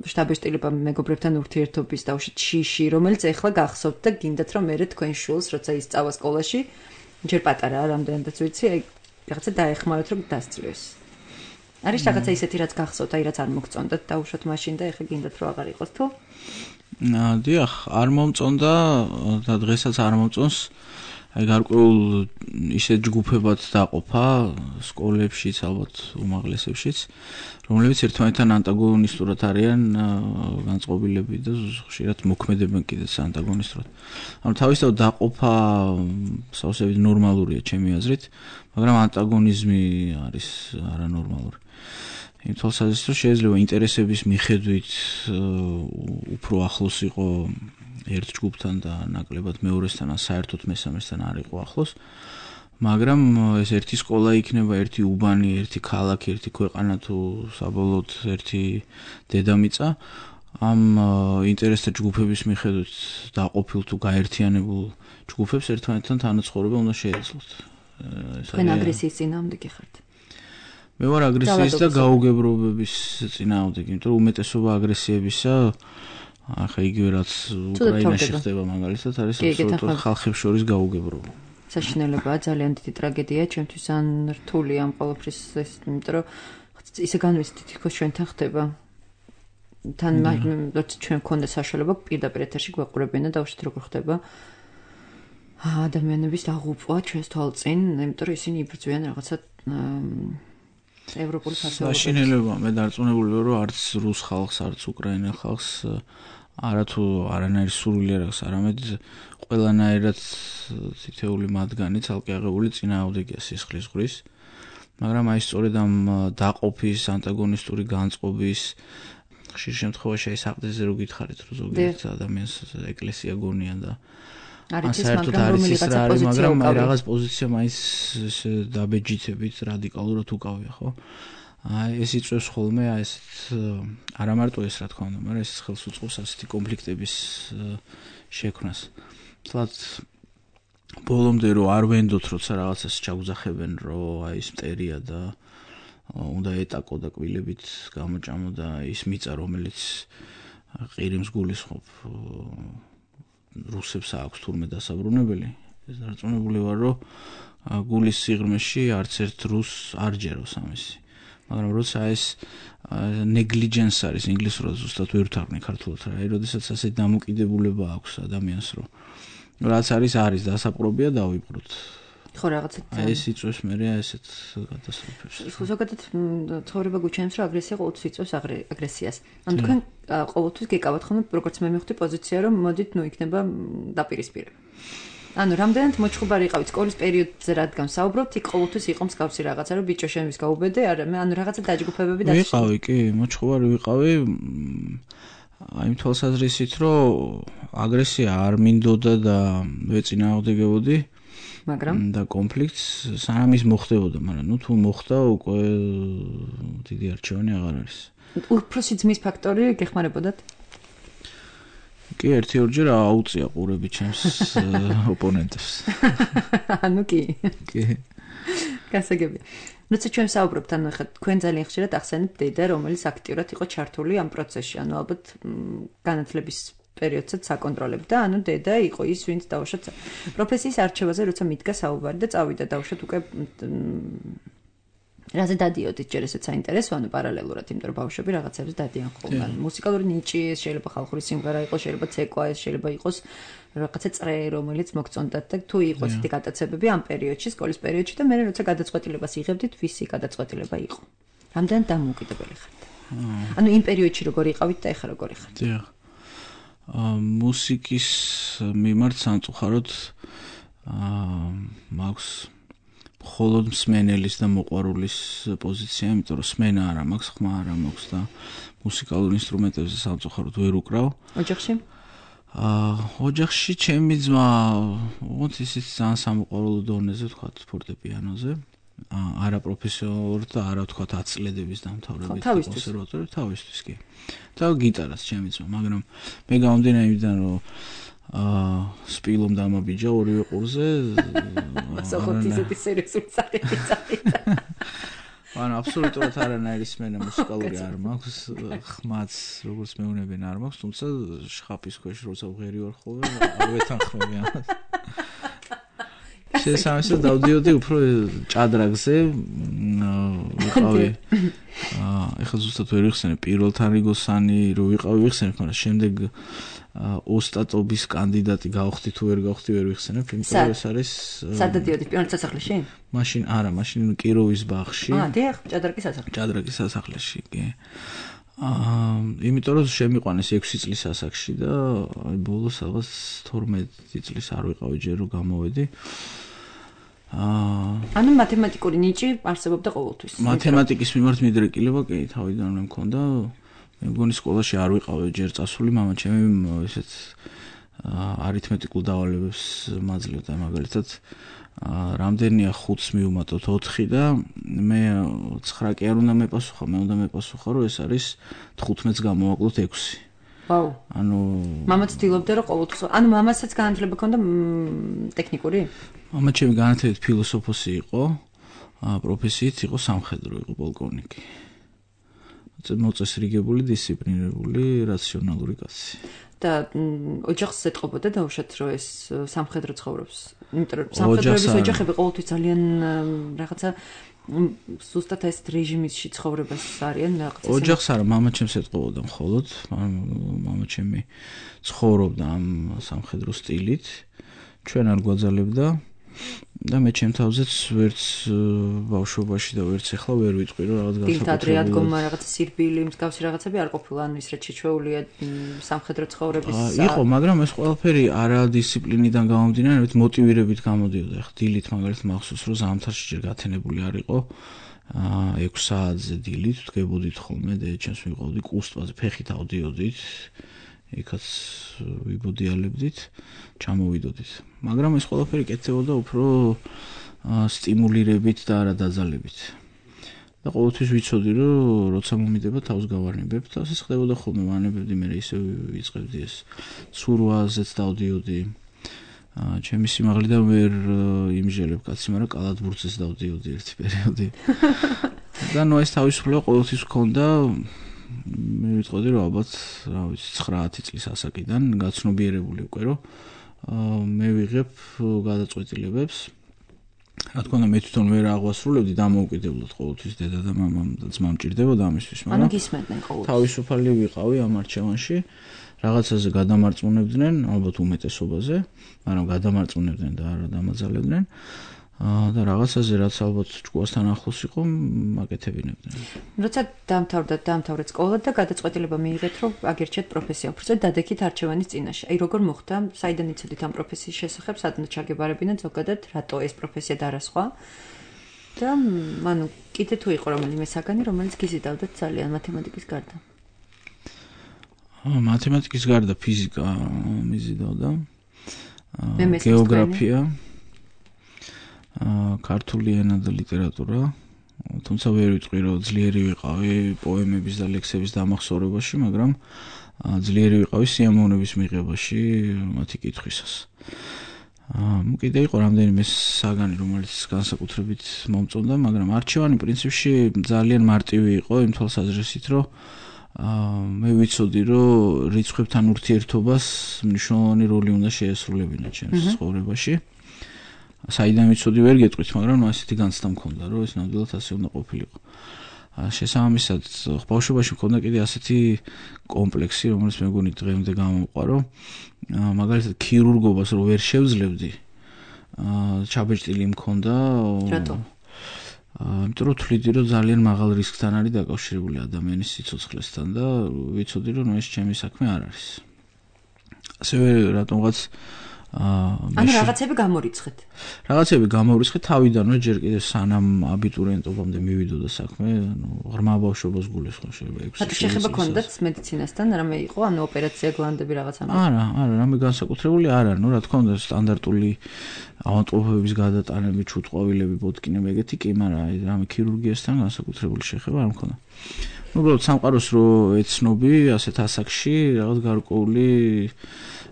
შტაბეშტილება მეგობრებთან ურთიერთობის დაუშვათ შიში, რომელიც ეხლა გახსოვთ და გინდათ რომ მე თქვენ შულს, როცა ისწავლა სკოლაში, ჯერ პატარა რამდენადაც ვიცი, აი რაღაცა დაეხმაროთ რომ დასწროს. არის რაღაცა ისეთი რაც გახსოვთ, აი რაც არ მოგწონდათ დაუშვათ მაშინ და ეხლა გინდათ რომ აღარ იყოს თუ? დიახ, არ მომწონდა და დღესაც არ მომწონს. აი გარკვეულ ისეთ ჯგუფებად დაყოფა სკოლებშიც, ალბათ უმაღლესებშიც, რომლებიც ერთმანეთთან ანტაგონისტურად არიან განწყობილები და ხშირად მოქმედებენ კიდეც ანტაგონისტურად. ანუ თავისთავად დაყოფა სავსებით ნორმალურია ჩემი აზრით, მაგრამ ანტაგონიზმი არის არანორმალური. იმ თვალსაზრისით, რომ შეიძლება ინტერესების მიხედვით უფრო ახლოს იყო ერთ ჯგუფთან და ნაკლებად მეორესთან, საერთოდ მესამესთან არ იყო ახლოს, მაგრამ ეს ერთი სკოლა იქნება, ერთი უბანი, ერთი ქალაქი, ერთი ქვეყანა თუ საბოლოოდ ერთი დედამიწა, ამ ინტერესთა ჯგუფების მიხედვით დაყოფილ თუ გაერთიანებულ ჯგუფებს ერთმანეთთან თანაცხოვრება უნდა შეეძლოთ. თქვენ აგრესიის წინააღმდეგი ხართ? მე ვარ აგრესიის და გაუგებრობების წინააღმდეგი, იმიტომ რომ უმეტესობა აგრესიებისა ახლა იგივე რაც უკრაინაში ხდება მაგალითად არის აბსოლუტურად ხალხებს შორის გაუგებრობა. საშინელებაა, ძალიან დიდი ტრაგედია, ჩემთვის ან რთული ამ ყოველფრის ეს, იმიტომ რომ ისე განვიცდით თითქოს ჩვენთან ხდება. თან როცა ჩვენ გქონდა საშუალება პირდაპირ ეთერში გვეყურებიან და დავუშვით როგორ ხდება ადამიანების დაღუპვა ჩვენს თვალწინ, იმიტომ რომ ისინი იბრძვიან რაღაცა ევროპული ფასეულობებს. საშინელება, მე დარწმუნებული ვარ, რომ არც რუს ხალხს, არც უკრაინა ხალხს არათუ არანაირი სურვილი არ აქვს, არამედ ყველანაირად თითეული მათგანი ცალკე აღებული წინააღმდეგია სისხლის ზღვრის. მაგრამ აი სწორედ ამ დაყოფის, ანტაგონისტური განწყობის ხშირ შემთხვევაში აი საყდრზე რო გითხარით, რომ ზოგიერთ ადამიანს ეკლესია გონია და საერთოდ არის ის რა არის, მაგრამ აი რაღაც პოზიცია მაინც დაბეჯითებით რადიკალურად უკავია, ხო? აი ეს იწვევს ხოლმე აი ესეთ არა მარტო ეს რა თქმა უნდა, მაგრამ ეს ხელს უწყობს ასეთი კონფლიქტების შექმნას. თლათ ბოლომდე რო არ ვენდოთ, როცა რაღაცას ჩაგუძახებენ, რომ აი ეს მტერია და უნდა ეტაკო და კბილებით გამოჭამო და ის მიწა, რომელიც ყირიმს გულისხმობ რუსებს აქვს თურმე დასაბრუნებელი. ეს დარწმუნებული ვარ, რომ გულის სიღრმეში არც ერთ რუსს არ ჯეროს ამისი. მაგრამ როცა ეს negligence არის ინგლისურად ზუსტად ვერ ვთარგმნი ქართულად რა, როდესაც ასე დამოკიდებულება აქვს ადამიანს, რომ რაც არის დასაპყრობია დავიპყროთ. ხო რაღაცა ეს იწვევს მე ესეთ გადასწრებებს. ზოგადად ცხოვრება გვიჩვენებს, რომ აგრესია ყოველთვის იწვევს აგრესიას. ანუ თქვენ ყოველთვის გეკავათ ხოლმე, როგორც მე მივხვდი პოზიცია, რომ მოდით, იქნება დაპირისპირება. ანუ რამდენად მოჩხუბარი იყავით სკოლის პერიოდზე, რადგან საუბრობთ, იქ ყოველთვის იყო მსგავსი რაღაცა, რომ ბიჭო შენ ვის გაუბედე, ანუ რაღაცა დაჯგუფებები ვიყავი, კი, მოჩხუბარი ვიყავი. აი თვალსაზრისით, რომ აგრესია არ მინდოდა და ვეწინააღმდეგებოდი. მაგრამ და კონფლიქტს სანამ ის მოხდებოდა, მაგრამ თუ მოხდა, უკვე დიდი არჩევანი აღარ არის. უფროსი ძმის ფაქტორი გეხმარებოდათ? კი, ერთი-ორჯერ აუწია ყურები ჩემს ოპონენტებს. ანუ კი. კი. გასაგებია. როცა ჩვენ საუბრობთ, ანუ ხა თქვენ ძალიან ხშირად ახსენებთ დედა, რომელიც აქტიურად იყო ჩართული ამ პროცესში, ანუ ალბათ განათლების პერიოდსაც საკონტროლებდა, ანუ დედა იყო ის, ვინც დაუშვათ პროფესიის არჩევაზე, როცა მიდგა საუბარი და წავიდა დაუშვათ უკვე რაზე დადიოდით, ჯერ ესეც საინტერესო, ანუ პარალელურად, იმიტომ რომ ბავშვები რაღაცებს დადიან ხოლმე. მუსიკალური ნიჭი, შეიძლება ხალხური სიმღერა იყოს, შეიძლება ცეკვა, შეიძლება იყოს რაღაცა წრე, რომელიც მოგწონდათ და თუ იყოს ისეთი გადაცებები ამ პერიოდში, სკოლის პერიოდში და მე როცა გადაწყვეტილებას იღებდით, ვისი გადაწყვეტილება იყო. რამდენად დამოუკიდებელი ხართ? ანუ იმ პერიოდში როგორი იყავით და ეხლა როგორი ხართ? დიახ. მუსიკის მიმართ სამწუხაროდ მაქვს მხოლოდ მსმენელის და მოყვარულის პოზიცია, იმიტომ რომ სმენა არ მაქვს, ხმა არ მაქვს და მუსიკალურ ინსტრუმენტებზე სამწუხაროდ ვერ უკრავ. ოჯახში? ოჯახში ჩემი ძმა, ოღონდ ისიც ძალიან სამოყვარულო დონეზე, ვთქვათ, ფორტეპიანოზე. არა პროფესიონალურად და არა ვთქვათ აწლედების დამთავრებით კონსერვატორიაში, თავისთვის კი. და გიტარას ჩემი ძმა, მაგრამ მე გამომდინარე იმიდან, რომ სპილომ დამაბიჯა ორივე ყურზე. ასახოთ ისეთი სერიოზული სახელი წაიდა. ანუ აბსოლუტურად არანაირი სმენა მუსიკალური არ მაქვს, ხმაც როგორც მეუბნებიან არ მაქვს, თუმცა შხაპის ქვეშ როცა ვღერი ვარ ხოლმე, არ ვეთანხმები ამას. შესაძლოა დავდიოდი უფრო ჭადრაგზე, ვიყავი. ეხლა ზუსტად ვერ ვიხსენებ პირველთან რიგოსანი რო ვიყავი ვიხსენებ, მაგრამ შემდეგ ოსტატობის კანდიდატი გავხდი თუ ვერ გავხდი ვერ ვიხსენებ, იმიტომ რომ ეს არის სადაც დიოდი პირველ სასახლეში? მაშინ არა, მაშინ კიროვის ბაღში. დიახ, ჭადრაკის სასახლეში. ჭადრაკის სასახლეში, კი. იმიტომ რომ შემიყვანეს 6 წლის ასაკში და აი ბოლოს რაღაც 12 წლის არ ვიყავი ჯერ რომ გამოვედი. ანუ მათემატიკური ნიჭი არსებობდა ყოველთვის. მათემატიკის მიმართ მიდრეკილება კი თავიდანვე მქონდა. მე მგონი სკოლაში არ ვიყავი ჯერ წასული, მამა ჩემი ესეც არითმეტიკულ დავალებებს მაძლევდა, მაგალითად რამდენია 5-ს მივუმატოთ 4 და მე 9 კი არ უნდა მეპასუხა, მე უნდა მეპასუხა, რომ ეს არის 15-ს გამოვაკლოთ 6. ვაუ. ანუ მამა ცდილობდა რომ ყოველთვის, ანუ მამასაც განათლება ჰქონდა ტექნიკური? მამა ჩემი განათლებით ფილოსოფოსი იყო, პროფესიით იყო სამხედრო, იყო პოლკოვნიკი. მოწესრიგებული, დისციპლინირებული, რაციონალური კაცი. და ოჯახს ეთყობოდა დაუშვათ რომ ეს სამხედრო ცხოვრობს. იმიტომ რომ სამხედროების ოჯახები ყოველთვის ძალიან რაღაცა სუსტად ეს რეჟიმში ცხოვრებას არიან რაღაცა. ოჯახს არა, მამა ჩემს ეთყობოდა მხოლოდ, მამა ჩემი ცხოვრობდა ამ სამხედრო სტილით. ჩვენ არ გვაძალებდა და მე ჩემ თავზეც ვერც ბავშვობაში და ვერც ახლა ვერ ვიტყვი რომ რაღაც განსაკუთრებული თეატრი ადგომა რაღაცა სირბილი მსგავსი რაღაცები არ ყოფილა, ანუ ის რაც შეჩვეულია სამხედრო ცხოვრების იყო, მაგრამ ეს ყველაფერი არა დისციპლინიდან გამომდინარე, მოტივირებით გამოდიოდა. ახლა დილით მაგალითად მახსოვს რომ ზამთარში ჯერ გათენებული არ იყო 6 საათზე დილით ვდგებოდით ხოლმე და ჩემს მივყავდი კუსტვაზე, ფეხით ავდიოდით. იქაც ვიბოდიალებდით, ჩამოვიდოდით. მაგრამ ეს ყველაფერი კეთდებოდა უფრო სტიმულირებით და არა დაძალებით. და ყოველთვის ვიცოდი, რომ როცა მომიდება თავს გავარნებებ და ეს ხდებოდა ხოლმე, ვანებებდი, მე ისე ვიწყებდი ეს ცურვაზეც დავდიოდი. ჩემი სიმაღლიდან ვერ იმჟელებ კაცი, მაგრამ კალათბურთზეც დავდიოდი ერთი პერიოდი. და ნუ ეს თავისუფლება ყოველთვის ჰქონდა. მე ვიტყოდი რომ ალბათ, რა ვიცი, 9-10 წლის ასაკიდან გაცნობიერებული უკვე რომ მე ვიღებ გადაწყვეტილებებს. რა თქმა უნდა, მე თვითონ ვერ აღვასრულებდი დამოუკიდებლად ყოველთვის დედა და მამამ და ძმამ ჭირდებოდა ამისთვის, მაგრამ ანუ გისმენდნენ ყოველთვის. თავისუფალი ვიყავი ამ არჩევანში. რაღაცაზე გადამარწმუნებდნენ, ალბათ უმეტესობაზე, მაგრამ გადამარწმუნებდნენ და არა დამაძალებდნენ. და რაღაცაზე რაც ალბათ ჭკუასთან ახლოს იყო, აკეთებინებდნენ. როცა დაამთავრეთ სკოლა და გადაწყვეტილება მიიღეთ, რომ აგერჩეთ პროფესია, უბრალოდ დადექით არჩევანის წინაშე. აი როგორ მოხდა? საიდან იცოდით ამ პროფესიის შესახებ, სადღაც ჩაგებარებინათ ზოგადად, რატო ეს პროფესია და არა სხვა? და ანუ კიდე თუ იყო რომელიმე საგანი, რომელიც გიზიდავდათ ძალიან მათემატიკის გარდა. მათემატიკის გარდა ფიზიკა მიზიდავდა. გეოგრაფია, ქართული ენა და ლიტერატურა. თუმცა ვერ ვიტყვი, რომ ძლიერი ვიყავი პოემების და ლექსების დამახსოვრებაში, მაგრამ ძლიერი ვიყავი სიამოვნების მიღებაში მათი კითხვისას. კიდე იყო რამდენიმე საგანი, რომელიც განსაკუთრებით მომწონდა, მაგრამ არჩევანი პრინციპში ძალიან მარტივი იყო იმ თვალსაზრისით, რომ მე ვიცოდი, რომ რიცხვებთან ურთიერთობას მნიშვნელოვანი როლი უნდა შეესრულებინა ჩემს ცხოვრებაში. საიდან ვიცოდი ვერ გეტყვით, მაგრამ ასეთი განცდა მქონდა, რომ ეს ნამდვილად ასე უნდა ყოფილიყო. შესაბამისად, ბავშვობაში მქონდა კიდე ასეთი კომპლექსი, რომელიც მეგონი დღემდე გამომყარო, მაგალითად ქირურგობას რო ვერ შევძლებდი, ჩაბეჭდილი მქონდა. რატო? იმიტომ რომ თვლიდი, რომ ძალიან მაღალ რისკთან არის დაკავშირებული ადამიანის სიცოცხლესთან და ვიცოდი, რომ ეს ჩემი საქმე არ არის. ასევე რატომღაც ანუ რაღაცები გამორიცხეთ. რაღაცები გამორიცხეთ თავიდანვე ჯერ კიდევ სანამ აბიტურიენტობამდე მივიდოდა საქმე, ანუ ღრმა ბავშვობას გულისხმობ შეიძლება 6 წელი. რატო შეხება ქონდათ მედიცინასთან, რამე იყო, ანუ ოპერაცია გლანდები რაღაცა? არა, რამე განსაკუთრებული არა, ნუ რა თქმა უნდა სტანდარტული ავადმყოფობების გადატანები, ჩუტყვავილები, ბოტკინები ეგეთი კი, მაგრამ რამე ქირურგიასთან განსაკუთრებული შეხება არ მქონდა. უბრალოდ სამყაროს რო ეცნობი ასეთ ასაკში რაღაც გარკვეული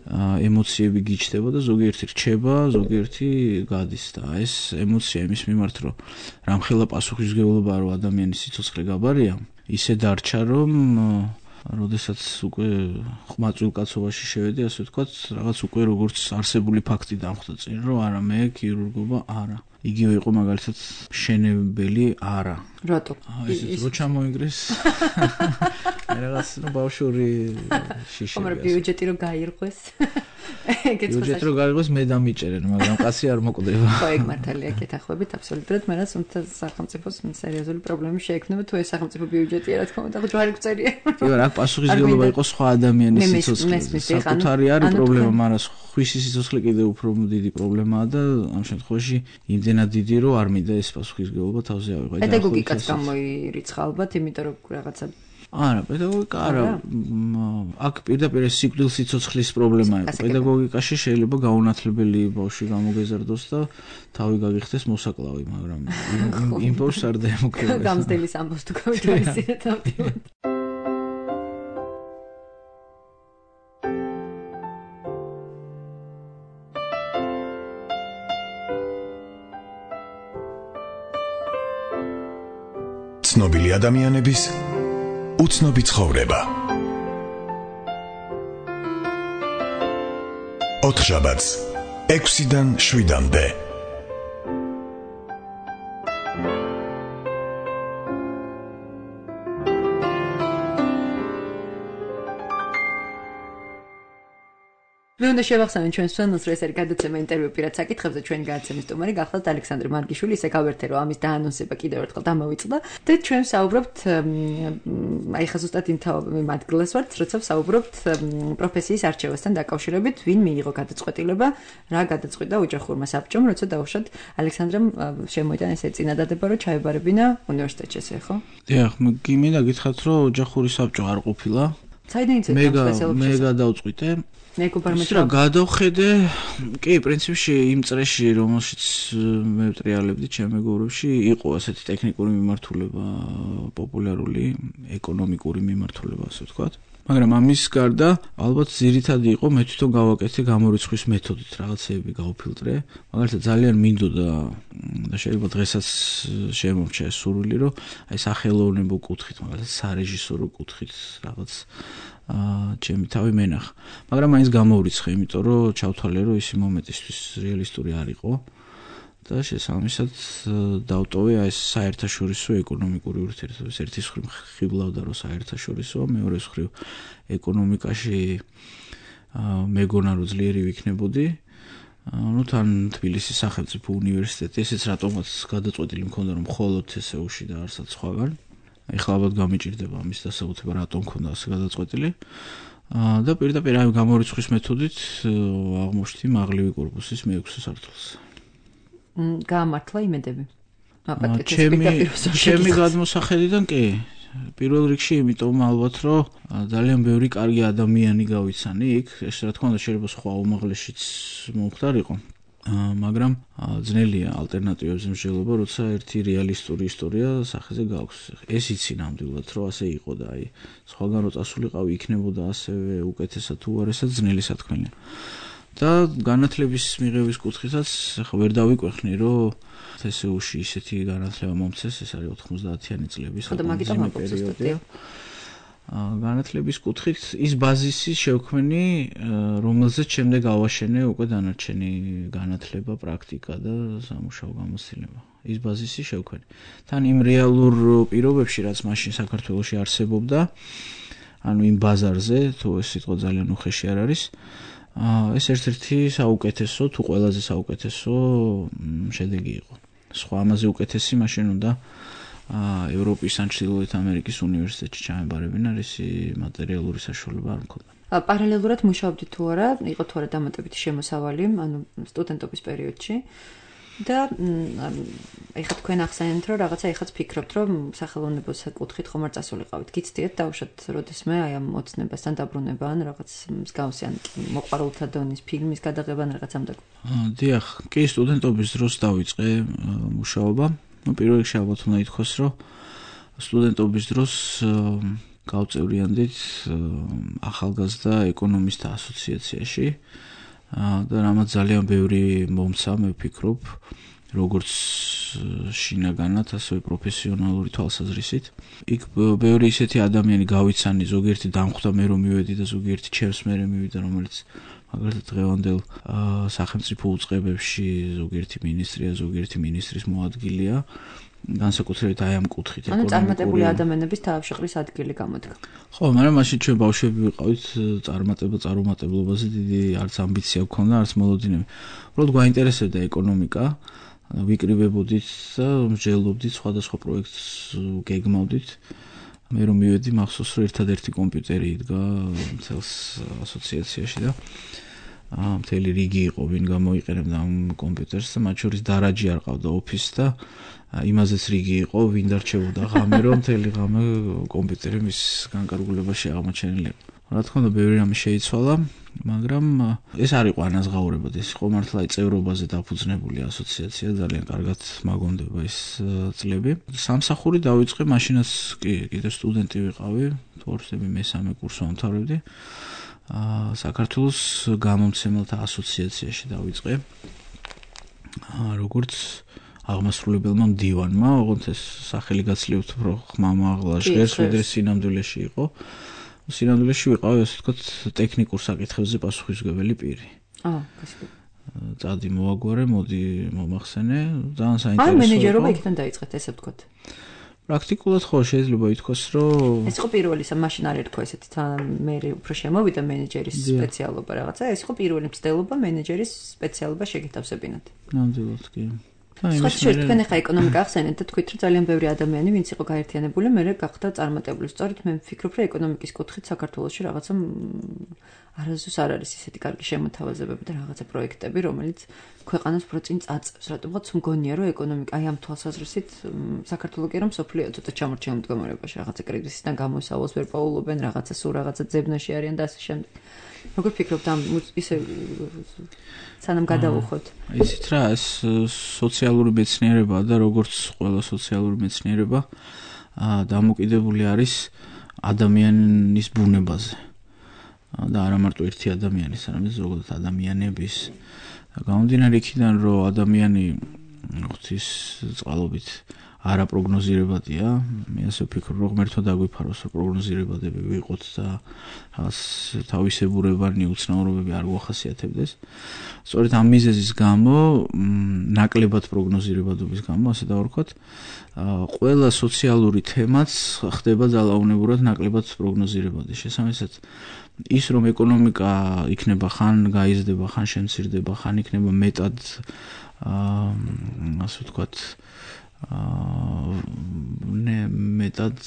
ემოციები გიჩნდება და ზოგიერთი რჩება, ზოგიერთი გადის და ეს ემოცია იმის მიმართ, რომ რამხელა პასუხისმგებლობაა, რომ ადამიანის სიცოცხლე გაბარია, ისე დარჩა, რომ როდესაც უკვე ყმაწვილ კაცობაში შევედი, ასე ვთქვათ, რაღაც უკვე როგორც არსებული ფაქტი დამხვდა წინ, რომ არა მე ქირურგობა არა. იგივე იყო მაგალითად მშენებელი არა. რატო? ესეც რო ჩამოიგრეს. მე რაღაც ბავშვური შიში. მაგრამ ბიუჯეტი რო გაირღვეს. ბიუჯეტი რო გაირღვეს მე დამიჭერენ, მაგრამ კაცი არ მოკვდება. ხო, ეგ მართალია, კეთახმებით, აბსოლუტურად, მაგრამ თუმცა სახელმწიფოს სერიოზული პრობლემები შეექმნება თუ ეს სახელმწიფო ბიუჯეტია, რა თქმა უნდა, ჯვარი გწერია. კი, რა პასუხისმგებლობა იყო სხვა ადამიანის სიცოცხლეზე. საკუთარი არის პრობლემა, მაგრამ ხვისი სიცოცხლე კიდევ უფრო დიდი პრობლემაა და ამ შემთხვევაში იმდენად დიდი, რომ არ მინდა ეს პასუხისმგებლობა თავზე ავიღო. პედაგოგიკაც გამოირიცხა ალბათ, იმიტომ რომ რაღაცა არა, პედაგოგიკა არა. აქ პირდაპირ სიკვდილის სიცოცხლის პრობლემა იყო. პედაგოგიკაში შეიძლება გაუნათლებელი ბავშვი გამოგეზარდოს და თავი გაგიხდეს მოსაკლავი, მაგრამ იმ ბავშვს არ დაემუქრება. გამზრდელის ამბავს თუ გავითავისეთ ავტომატურად. ცნობილი ადამიანების უცნობი ცხოვრება. 4 შაბათს 6-დან 7-მდე. მე უნდა შევახსენოთ ჩვენს ფანს, რომ ეს არის გადაცემა ინტერვიუ პირად საკითხებზე, ჩვენი გადაცემის სტუმარი გახლავთ ალექსანდრე მარგიშვილი, ისე გავერთე რომ ამის დაანონსება კიდევ ერთხელ დამოვიწყდა და ჩვენ საუბრობთ აი ხა ზუსტად იმ ადგილას ვართ, როცა საუბრობთ პროფესიის არჩევასთან დაკავშირებით, ვინ მიიღო გადაწყვეტილება, რა გადაწყვიტა ოჯახურმა საბჭომ, როცა დაუშვათ ალექსანდრემ შემოიტანა ესე წინადადება, რომ ჩაებარებინა უნივერსიტეტში, ესე ხო? დიახ, მინდა გითხრათ, რომ ოჯახური საბჭო არ ყოფილა. საიდან იცით ამ სპეციალობებს? მე გადავწყვიტე. მეგობარმა გადავხედე, კი, პრინციპში იმ წრეში, რომელშიც მე ვტრიალებდი ჩემ მეგობრებში, იყო ასეთი ტექნიკური მიმართულება, პოპულარული ეკონომიკური მიმართულება, ასე ვთქვათ. მაგრამ ამის გარდა, ალბათ ძირითადი იყო მე თვითონ გავაკეთე გამორიცხვის მეთოდით რაღაცეები გავფილტრე. მაგალითად ძალიან მინდოდა და შეიძლება დღესაც შემომრჩა ეს სურვილი, რომ აი სახელოვნებო კუთხით, მაგალითად სარეჟისორო კუთხით რაღაც ჩემი თავი მენახა. მაგრამ მაინც გამოვრიცხე, იმიტომ რომ ჩავთვალე, რომ ისი მომენტისთვის რეალისტური არ იყო და შესაბამისად დავტოვე ეს საერთაშორისო ეკონომიკური ურთიერთობების ერთის მხრივ ხიბლავდა, რომ საერთაშორისო, მეორეს მხრივ ეკონომიკაში მეგონა რომ ძლიერი ვიქნებოდი ну თან თბილისის სახელმწიფო უნივერსიტეტი, ესეც რატომაც გადაწყვეტილი მქონდა რომ მხოლოდ TSU-ში და არცად სხვაგან. ეხლა ალბათ გამიჭირდება ამის დასაუთება რატომ მქონდა ასე გადაწყვეტილი. და პირდაპირ აი გამორიცხვის მეთოდით აღმოჩნდი მაღლივი კორპუსის მე-6 სართულს. გაამართლა იმედები. ჩემი გადმოსახედიდან კი. პირველ რიგში იმიტომ ალბათ რომ ძალიან ბევრი კარგი ადამიანი გავიცანი იქ, ეს რა თქმა უნდა შეიძლება სხვა უმაღლესშიც მომხდარიყო. მაგრამ ძნელია ალტერნატივებზე მსჯელობა, როცა ერთი რეალისტური ისტორია სახეზე გაქვს. ეს იცი ნამდვილად რომ ასე იყო და აი სხვაგან რო წასულიყავი იქნებოდა ასევე უკეთესად თუ არასად ძნელი სათქმელია. და განათლების მიღების კუთხითაც ხო ვერ დავიკვეხნი რომ TSU-ში ისეთი განათლება მომცეს, ეს არის 90-იანი წლების პერიოდი. განათლების კუთხით ის ბაზისი შევქმნი, რომელზეც შემდეგ ავაშენე უკვე დანარჩენი განათლება, პრაქტიკა და სამუშაო გამოცდილება. ის ბაზისი შევქმნი. თან იმ რეალურ პირობებში, რაც მაშინ საქართველოში არსებობდა, ანუ იმ ბაზარზე, თუ ეს სიტყვა ძალიან უხეში არ არის, ეს ერთ-ერთი საუკეთესო, თუ ყველაზე საუკეთესო შედეგი იყო. სხვა ამაზე უკეთესი მაშინ უნდა ევროპის ან ჩრდილოეთ ამერიკის უნივერსიტეტში ჩამებარებინა, ისი მატერიალური საშუალება არ მქონდა. პარალელურად მუშაობდით თუ არა, იყო თუ არა დამატებითი შემოსავალი, ანუ სტუდენტობის პერიოდში. და ეხლა თქვენ ახსენეთ რომ რაღაცა ეხაც ფიქრობთ რომ სახელოვნებოს კუთხით ხომ არ წასულიყავით. გიცდიეთ დავუშვათ როდესმე აი ამ ოცნებასთან დაბრუნება ან რაღაც მსგავსი ან მოყვარულთა დონის ფილმის გადაღება ან რაღაც ამ და დიახ, კი სტუდენტობის დროს დავიწყე მუშაობა. ну პირველ რიგში ალბათ უნდა ითქვას რომ სტუდენტობის დროს გავწევრიანდით ახალგაზრდა ეკონომისტთა ასოციაციაში და რამაც ძალიან ბევრი მომცა მე ვფიქრობ როგორც შინაგანად ასევე პროფესიონალური თვალსაზრისით. იქ ბევრი ისეთი ადამიანი გავიცანი, ზოგიერთი დამხვდა მე რომ მივედი და ზოგიერთი ჩემს მერე მივიდა, რომელიც მაგალითად დღევანდელ სახელმწიფო უწყებებში ზოგიერთი მინისტრია, ზოგიერთი მინისტრის მოადგილეა. განსაკუთრებით აი ამ კუთხით ეკონომიკური. ანუ წარმატებული ადამიანების თავშეყრის ადგილი გამოდგა. ხო, მაგრამ მაშინ ჩვენ ბავშვები ვიყავით, წარუმატებლობაზე დიდი არც ამბიცია გქონდა, არც მოლოდინები. უბრალოდ გვაინტერესებდა ეკონომიკა, ვიკრიბებოდით და მსჯელობდით სხვადასხვა პროექტს გეგმავდით. მე რომ მივედი მახსოვს რომ ერთადერთი კომპიუტერი იდგა მთელს ასოციაციაში და მთელი რიგი იყო ვინ გამოიყენებდა ამ კომპიუტერს და მათ შორის დარაჯი არ ყავდა ოფისს და იმაზეც რიგი იყო ვინ დარჩებოდა ღამე რომ მთელი ღამე კომპიუტერი მის განკარგულებაში აღმოჩენილი იყო. რა თქმა უნდა ბევრი რამე შეიცვალა, მაგრამ ეს არ იყო ანაზღაურებად, ეს იყო მართლა წევრობაზე დაფუძნებული ასოციაცია, ძალიან კარგად მაგონდება ეს წლები. სამსახური დავიწყე, მაშინაც კიდევ სტუდენტი ვიყავი, თორსები მესამე კურსს ვამთავრებდი. საქართველოს გამომცემელთა ასოციაციაში დავიწყე. როგორც აღმასრულებელმა მდივანმა, ოღონდ ეს სახელი გაცილებით უფრო ხმამაღლა ჟღერს, ვიდრე სინამდვილეში იყო. სინამდვილეში ვიყავი, ასე ვთქვათ, ტექნიკურ საკითხებზე პასუხისმგებელი პირი. წადი მოაგვარე, მოდი მომახსენე, ძალიან საინტერესო. ან მენეჯერობა იქიდან დაიწყეთ, ესე ვთქვათ. პრაქტიკულად ხო შეიძლება ითქვას, რომ ეს იყო პირველი, მაშინ არ ერქვა ესეთი მე უფრო შემოვიდა მენეჯერის სპეციალობა რაღაცა, ეს იყო პირველი მცდელობა მენეჯერის სპეციალობა შეგეთავსებინათ. ნამდვილად კი. სხვა თქვენ ახლა ეკონომიკა ახსენეთ და თქვით რომ ძალიან ბევრი ადამიანი ვინც იყო გაერთიანებული, მე გახდა წარმატებული. სწორედ მე ვფიქრობ რომ ეკონომიკის კუთხით საქართველოში რაღაცა არასდროს არ არის ისეთი კარგი შემოთავაზებები და რაღაცა პროექტები, რომელიც ქვეყანას უფრო წინ წაწევს. რატომღაც მგონია რომ ეკონომიკა აი ამ თვალსაზრისით საქართველოს კი რომ სოფლიო ცოტა ჩამორჩენილ მდგომარეობაში რაღაცა კრიზისიდან გამოსავალს ვერ პაულობენ, რაღაცა სულ რაღაცა ძებნაში არიან და ასე შემდეგ. როგორ ფიქრობთ ამ ისე სანამ გადავუხოთ? იცით რა, ეს სოციალური მეცნიერებაა და როგორც ყველა სოციალური მეცნიერება დამოკიდებული არის ადამიანის ბუნებაზე. და არა მარტო ერთი ადამიანის, არამედ ზოგადად ადამიანების. გამომდინარე იქიდან, რომ ადამიანი ღვთის წყალობით არაპროგნოზირებადია. მე ასე ვფიქრობ, რომ ღმერთმა დაგვიფაროს, რომ პროგნოზირებადები ვიყოთ და რაღაც თავისებურებანი უცნაურობები არ გვახასიათებდეს. სწორედ ამ მიზეზის გამო, ნაკლებად პროგნოზირებადობის გამო, ასე დავარქვათ, ყველა სოციალური თემაც ხდება ძალაუნებურად ნაკლებად პროგნოზირებადი. შესაბამისად, ის რომ ეკონომიკა იქნება ხან გაიზრდება, ხან შემცირდება, ხან იქნება მეტად ასე ვთქვათ, მეტად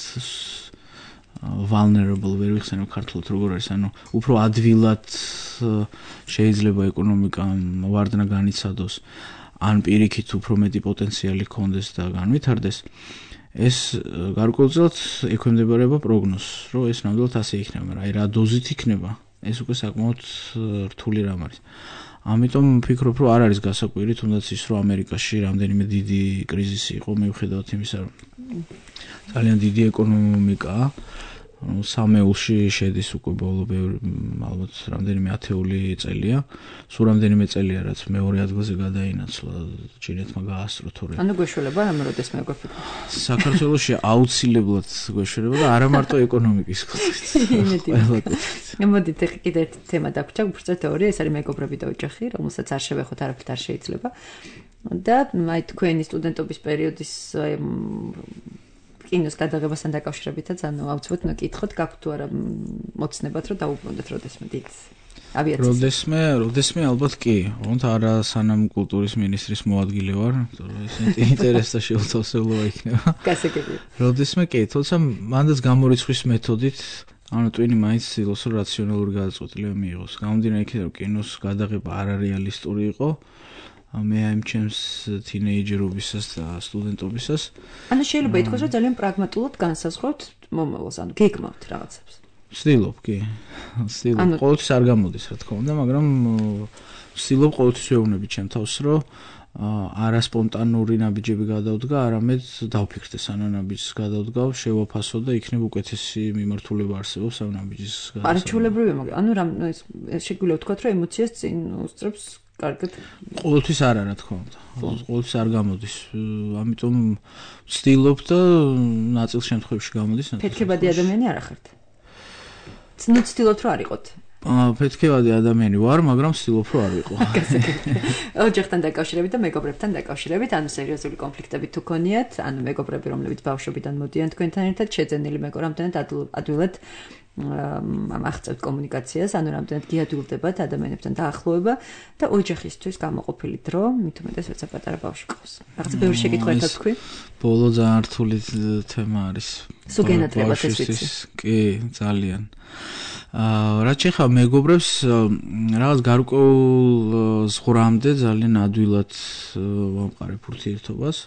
vulnerable ვერ ვიხსენებ ქართულად როგორ არის, ანუ უფრო ადვილად შეიძლება ეკონომიკა ვარდნა განიცადოს, ან პირიქით უფრო მეტი პოტენციალი ჰქონდეს და განვითარდეს. ეს გარკვეულწილად ექვემდებარება პროგნოზს, რომ ეს ნამდვილად ასე იქნება, მაგრამ აი რა დოზით იქნება, ეს უკვე საკმაოდ რთული რამ არის. ამიტომ ვფიქრობ, რომ არ არის გასაკვირი, თუნდაც ის, რომ ამერიკაში რამდენიმე დიდი კრიზისი იყო, მიუხედავად იმისა, რომ ძალიან დიდი ეკონომიკაა, სამეულში შედის უკვე ბოლო ალბათ რამდენიმე ათეული წელია, სულ რამდენიმე წელია, რაც მეორე ადგილზე გადაინაცვლა, ჩინეთმა გაასწრო თორე. ანუ გვეშველება რამე როდესმე გვეფიქრ. საქართველოში აუცილებლად გვეშველება და არა მარტო ეკონომიკის კუთხით. მოდით კიდე ერთი თემა დაგვჭა, უფრო თეორია, ეს არის მეგობრები და ოჯახი, რომელსაც არ შევეხოთ, არაფრით არ შეიძლება. და აი თქვენი სტუდენტობის პერიოდის კინოს გადაღებასთან დაკავშირებითაც, ანუ აუცილებლად უნდა გითხოთ, გაქვთ თუ არა მოცნებად, რომ დაუბრუნდეთ როდესმე დიდ ავიაციას. როდესმე ალბათ კი, თუმცა არა სანამ კულტურის მინისტრის მოადგილე ვარ, იმიტომ რომ ეს ინტერესთა შეუთავსებლობა იქნება. გასაგებია. როდესმე კი, თუმცა მანდაც გამორიცხვის მეთოდით, ანუ ტვინი მაინც ცდილობს, რომ რაციონალური გადაწყვეტილება მიიღოს. გამომდინარე იქიდან, რომ კინოს გადაღება არარეალისტური იყო, მე ამ ჩემს თინეიჯერობისას და სტუდენტობისას. ანუ შეიძლება ითქვას, რომ ძალიან პრაგმატულად განსაზღვროთ მომავალს, ანუ გეგმავთ რაღაცებს. ვცდილობ, კი. ვცდილობ. ყოველთვის არ გამოდის, რა თქმა უნდა, მაგრამ ვცდილობ ყოველთვის ვეუბნები ჩემ თავს, რომ არასპონტანური ნაბიჯები გადავდგა, არამედ დავფიქრდე სანამ ნაბიჯს გადავდგავ, შევაფასო და იქნებ უკეთესი მიმართულება არსებობს ამ ნაბიჯის გადასახედად. არაჩვეულებრივია, მაგრამ ანუ შეგვიძლია ვთქვათ, რომ ემოციას წინ უსწრებს კარგად. ყოველთვის არა, რა თქმა უნდა. ყოველთვის არ გამოდის. ამიტომ ვცდილობ და ნაწილ შემთხვევებში გამოდის. ფეთქებადი ადამიანი არ ახართ. ვცდილობთ რომ არ იყოთ. ფეთქებადი ადამიანი ვარ, მაგრამ ვცდილობ რომ არ ვიყო. ოჯახთან დაკავშირებით და მეგობრებთან დაკავშირებით, ანუ სერიოზული კონფლიქტები თუ ქონიათ, ანუ მეგობრები, რომლებიც ბავშვობიდან მოდიან თქვენთან ერთად, შეძენილი მეგობრები, რამდენად ადვილად აღწევთ კომუნიკაციას, ანუ რამდენად გიადვილდებათ ადამიანებთან დაახლოება და ოჯახისთვის გამოყოფილი დრო, მით უმეტეს როცა პატარა ბავშვი ყავს. რაღაცა ბევრი შეკითხვა ერთად თქვი? ბოლო ძალიან რთული თემა არის. სულ გენატრებათ ეს ვიცი. კი, ძალიან. რაც შეხება მეგობრებს, რაღაც გარკვეულ ზღვრამდე ძალიან ადვილად ვამყარებ ურთიერთობას.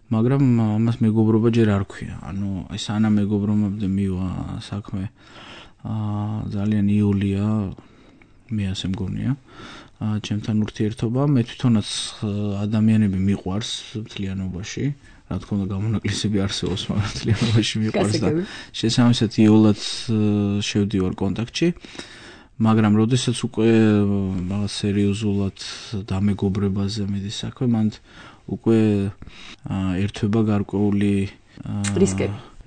მაგრამ ამას მეგობრობა ჯერ არ ქვია. ანუ აი სანამ მეგობრობამდე მივა საქმე ძალიან იოლია, მე ასე მგონია. ჩემთან ურთიერთობა, მე თვითონაც ადამიანები მიყვარს მთლიანობაში. რა თქმა უნდა გამონაკლისები არსებობს, მაგრამ მთლიანობაში მიყვარს და შესაბამისად იოლად შევდივარ კონტაქტში. მაგრამ როდესაც უკვე რაღაც სერიოზულად დამეგობრებაზე მიდის საქმე, მანდ უკვე ერთვება გარკვეული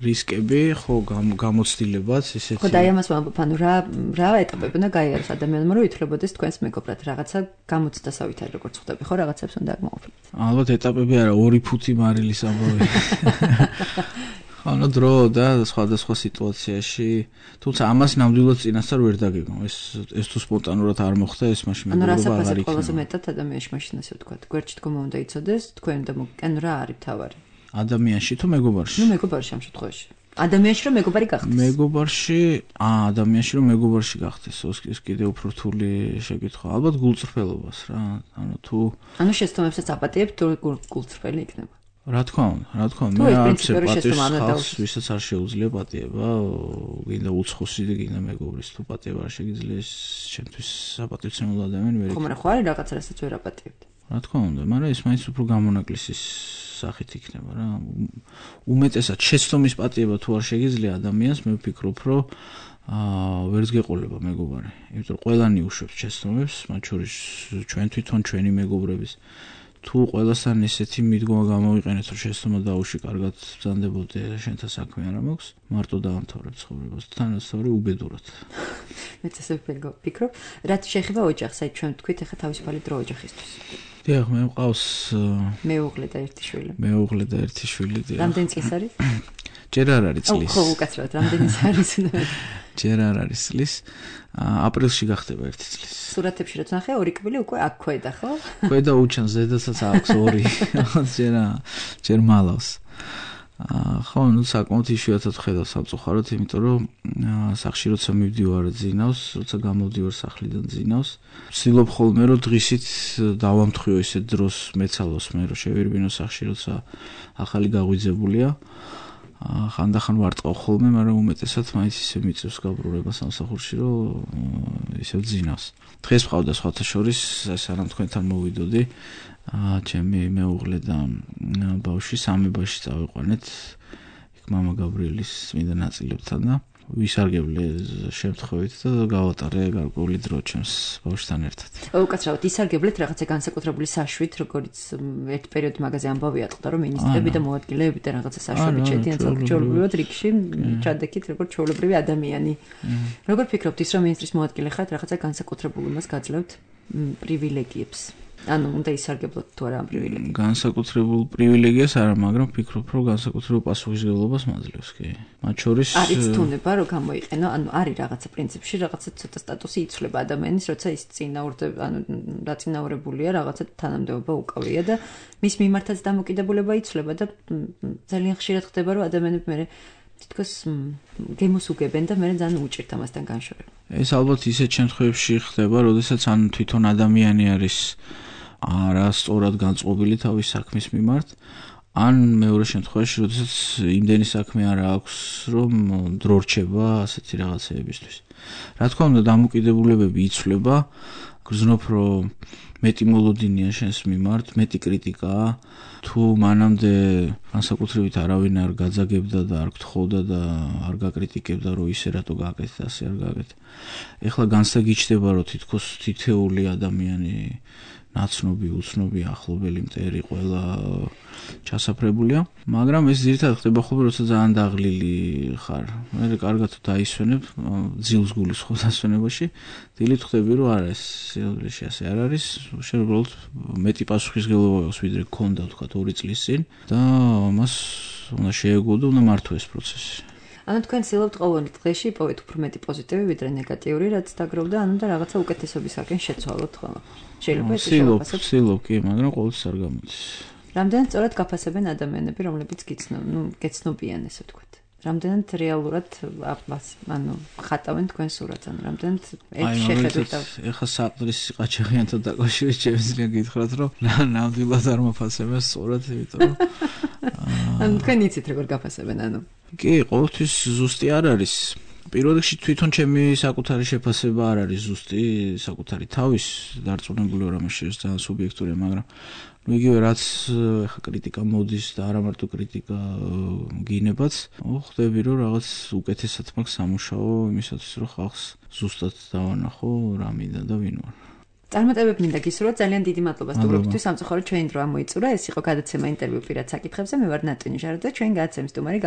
რისკები, ხო, გამოცდილებაც, ისეთი. ხო, და ამას ვამბობ, ანუ რა ეტაპები უნდა გაიაროს ადამიანმა, რომ ითვლებოდეს თქვენს მეგობრად, რაღაცა გამოცდასავით არის, როგორც ხვდები, ხო, რაღაცებს უნდა აღმოაჩინოთ. ალბათ ეტაპები არა, 2 ფუთი მარილის ამბავი. ანუ დრო და სხვადასხვა სიტუაციაში, თუმცა ამას ნამდვილად წინასწარ ვერ დაგეგმო. ეს თუ სპონტანურად არ მოხდა, ეს მაშინ მეგობრობა არ იქნება. ანუ რა საფასად ყველაზე მეტად ადამიანში მაშინ ასე ვთქვათ, გვერდში დგომა უნდა იცოდეს, თქვენ და ანუ რა არის თავარი? ადამიანში თუ მეგობარში? ნუ მეგობარში ამ შემთხვევაში. ადამიანში რომ მეგობარი გახდეს. ადამიანში რომ მეგობარში გახდეს, ეს კიდე უფრო რთული შეკითხვა. ალბათ გულწრფელობას რა. ანუ შეცდომებსაც აპატიებთ, თუ გულწრფელი იქნება. რა თქმა უნდა, მე არც პატიებს, ვისაც არ შეუძლია პატიება, გინდა უცხოსი და გინდა მეგობრის, თუ პატიება არ შეგიძლია, ჩემთვის საპატივცემულო ადამიანი ვერ იქნება. ხო, მაგრამ ხო არის რაღაცა, რასაც ვერ აპატიებთ. რა თქმა უნდა, მაგრამ ეს მაინც უფრო გამონაკლისის სახით იქნება რა. უმეტესად შეცდომის პატიება თუ არ შეგიძლია ადამიანს, მე ვფიქრობ, რომ ვერც გეყოლება მეგობარი. იმიტომ რომ ყველანი უშვებს შეცდომებს, მათ შორის ჩვენ თვითონ ჩვენი მეგობრების თუ ყველასთან ესეთი მიდგომა გამოვიყენეთ, რომ შეცდომა დაუში კარგად ბრძანდებოდი, შენთან საქმე არ მაქვს, მარტო დაამთავრებ ცხოვრებას, თანასწორი უბედურად. მეც ესე ვფიქრობ, რაც შეეხება ოჯახს, აი ჩვენ თქვით ახლა თავისუფალი დრო ოჯახისთვის. დიახ, მე მყავს მეუღლე და ერთი შვილი. მეუღლე და ერთი შვილი, დიახ. რამდენი წლის არის? ჯერ არ არის წლის. ხო, უკაცრავად, რამდენი არის? ჯერ არ არის წლის. აპრილში გახდება 1 წლის. სურათებში რაც ნახე, ორი კბილი უკვე აქ ქვედა, ხო? ქვედა უჩანს, ზედაცაც აქვს 2. ჯერ მალავს. ხო, ნუ საკმაოდ იშვიათად ხედავ სამწუხაროდ, იმიტომ რომ სახში როცა მივდივარ ძინავს, როცა გამოვდივარ სახლიდან ძინავს, ვცდილობ ხოლმე რომ დღისით დავამთხვიო ისეთ დროს მეცალოს მე რომ შევირბინო სახში, როცა ახალი გაღვიძებულია. ხანდახან ვარტყავ ხოლმე, მაგრამ უმეტესად მაინც ისე მიწევს გაბრურება სამსახურში, რომ ისე ძინავს. დღეს მყავდა სხვათა შორის, სანამ თქვენთან მოვიდოდი, ჩემი მეუღლე და ბავშვი სამებაში წავიყვანეთ იქ მამა გაბრიელის წმინდა ნაწილებთან და ვისარგებლე შემთხვევით და გავატარე გარკვეული დრო ჩემს ბავშვთან ერთად. უკაცრავად ისარგებლეთ რაღაცა განსაკუთრებული საშვით, როგორც ერთ პერიოდში მაგაზე ამბავი ატყდა, რომ მინისტრები და მოადგილეები და რაღაცა საშვები ჩედიან საჩვეულებრივად რიგში, ჩადექით როგორც ჩვეულებრივი ადამიანი. როგორ ფიქრობთ ის, რომ მინისტრის მოადგილე ხართ, რაღაცა განსაკუთრებულ იმას გაძლევთ პრივილეგიებს? ანუ უნდა ისარგებლოთ თუ არა ამ პრივილეგიებს. განსაკუთრებულ პრივილეგიას არა, მაგრამ ვფიქრობ, რომ განსაკუთრებულ პასუხისმგებლობას მაძლევს, კი. მათ შორის არის თუნება, რომ გამოიყენო, ანუ არის რაღაცა პრინციპში, რაღაცა ცოტა სტატუსი იცვლება ადამიანის, როცა ის დაწინაურებულია, რაღაცა თანამდებობა უკავია და მის მიმართაც დამოკიდებულება იცვლება და ძალიან ხშირად ხდება, რომ ადამიანები მე თითქოს გემოს უგებენ და მე ძალიან უჭირთ ამასთან განშორება. ეს ალბათ ისეთ შემთხვევებში ხდება, როდესაც ან თვითონ ადამიანი არის არასწორად განწყობილი თავის საქმის მიმართ, ან მეორე შემთხვევაში, როდესაც იმდენი საქმე არ აქვს, რომ დრო რჩება ასეთი რაღაცეებისთვის. რა თქმა უნდა, დამოკიდებულებები იცვლება, გრძნობ, რომ მეტი მოლოდინია შენს მიმართ, მეტი კრიტიკაა, თუ მანამდე განსაკუთრებით არავინ არ გაძაგებდა და არ გთხოვდა და არ გაკრიტიკებდა, რომ ისე რატო გააკეთეთ, ასე არ გააკეთეთ. ეხლა განცდა გიჩნდება, რომ თითქოს თითეული ადამიანი ნაცნობი, უცნობი, ახლობელი, მტერი, ყველა ჩასაფრებულია, მაგრამ ეს ძირითადად ხდება ხოლმე, როცა ძალიან დაღლილი ხარ. მე კარგად დაისვენებ, ძილს გულის ხო დასვენებაში, დილით ხვდები, რომ არა, ეს სიახლეში ასე არ არის, შენ უბრალოდ მეტი პასუხისმგებლობა აქვს, ვიდრე გქონდა, თქვა 2 წლის წინ და მას უნდა შეეგო და უნდა მართო ეს პროცესი. ანუ თქვენ ცდილობთ ყოველ დღეში იპოვეთ უფრო მეტი პოზიტივი, ვიდრე ნეგატიური, რაც დაგროვდა, ანუ და რაღაცა უკეთესობისაკენ შეცვალოთ ხოლმე. შეიძლება ეს შევაფასოთ. ვცდილობ, კი, მაგრამ ყოველთვის არ გამოდის. რამდენად სწორად გაფასებენ ადამიანები, რომლებიც გეცნობიან, ესე ვთქვათ. რამდენად რეალურად ანუ ხატავენ თქვენ სურათს, ანუ რამდენად ეს შეხედვით. ეხლა საყდრის ყაჩაღიანთან დაკავშირებით შემიძლია გითხრათ, რომ ნამდვილად არ მაფასებენ სწორად, იმიტომ რომ ანუ თქვენ იცით როგორ გაფასებენ, ანუ კი, ყოველთვის ზუსტი არ არის. პირველ რიგში თვითონ ჩემი საკუთარი შეფასება არ არის ზუსტი, საკუთარი თავის დარწმუნებული ვარ ამაში, ძალიან სუბიექტურია, მაგრამ ну იგივე რაც ეხა კრიტიკა მოდის და არა მარტო კრიტიკა გინებაც, ხვდები რომ რაღაც უკეთესად მაქვს სამუშაო იმისათვის რომ ხალხს ზუსტად დავანახო რა მინდა და ვინ ვარ. წარმატებები მინდა გისურვოთ, ძალიან დიდი მადლობა სტუმრობისთვის, სამწუხაროდ ჩვენი დრო ამოიწურა, ეს იყო გადაცემა ინტერვიუ პირად საკითხებზე, მე ვარ ნატონი ჟარო და ჩვენ გადაცემის სტუმარი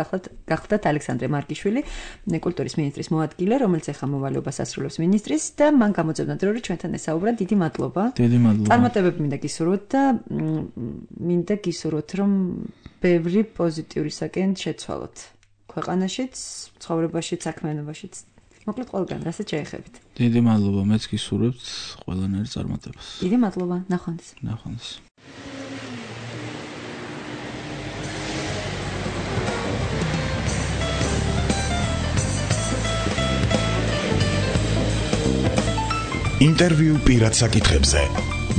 გახლდათ ალექსანდრე მარკიშვილი, კულტურის მინისტრის მოადგილე, რომელიც ახლა მოვალეობას ასრულებს მინისტრის და მან გამოძებნა დრო, რომ ჩვენთან ესაუბრა, დიდი მადლობა. დიდი მადლობა. წარმატებები მინდა გისურვოთ და მინდა გისურვოთ, რომ ბევრი პოზიტიურისაკენ შეცვალოთ. ქვეყანაშიც, ცხოვრებაშიც, საქმიანობაშიც. მოკლედ ყველგან, რასაც შეეხებით. დიდი მადლობა, მეც გისურვებთ ყველანაირ წარმატებას. დიდი მადლობა, ნახვამდის. ნახვამდის. ინტერვიუ პირად საკითხებზე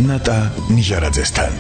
ნატა ნიჟარაძესთან.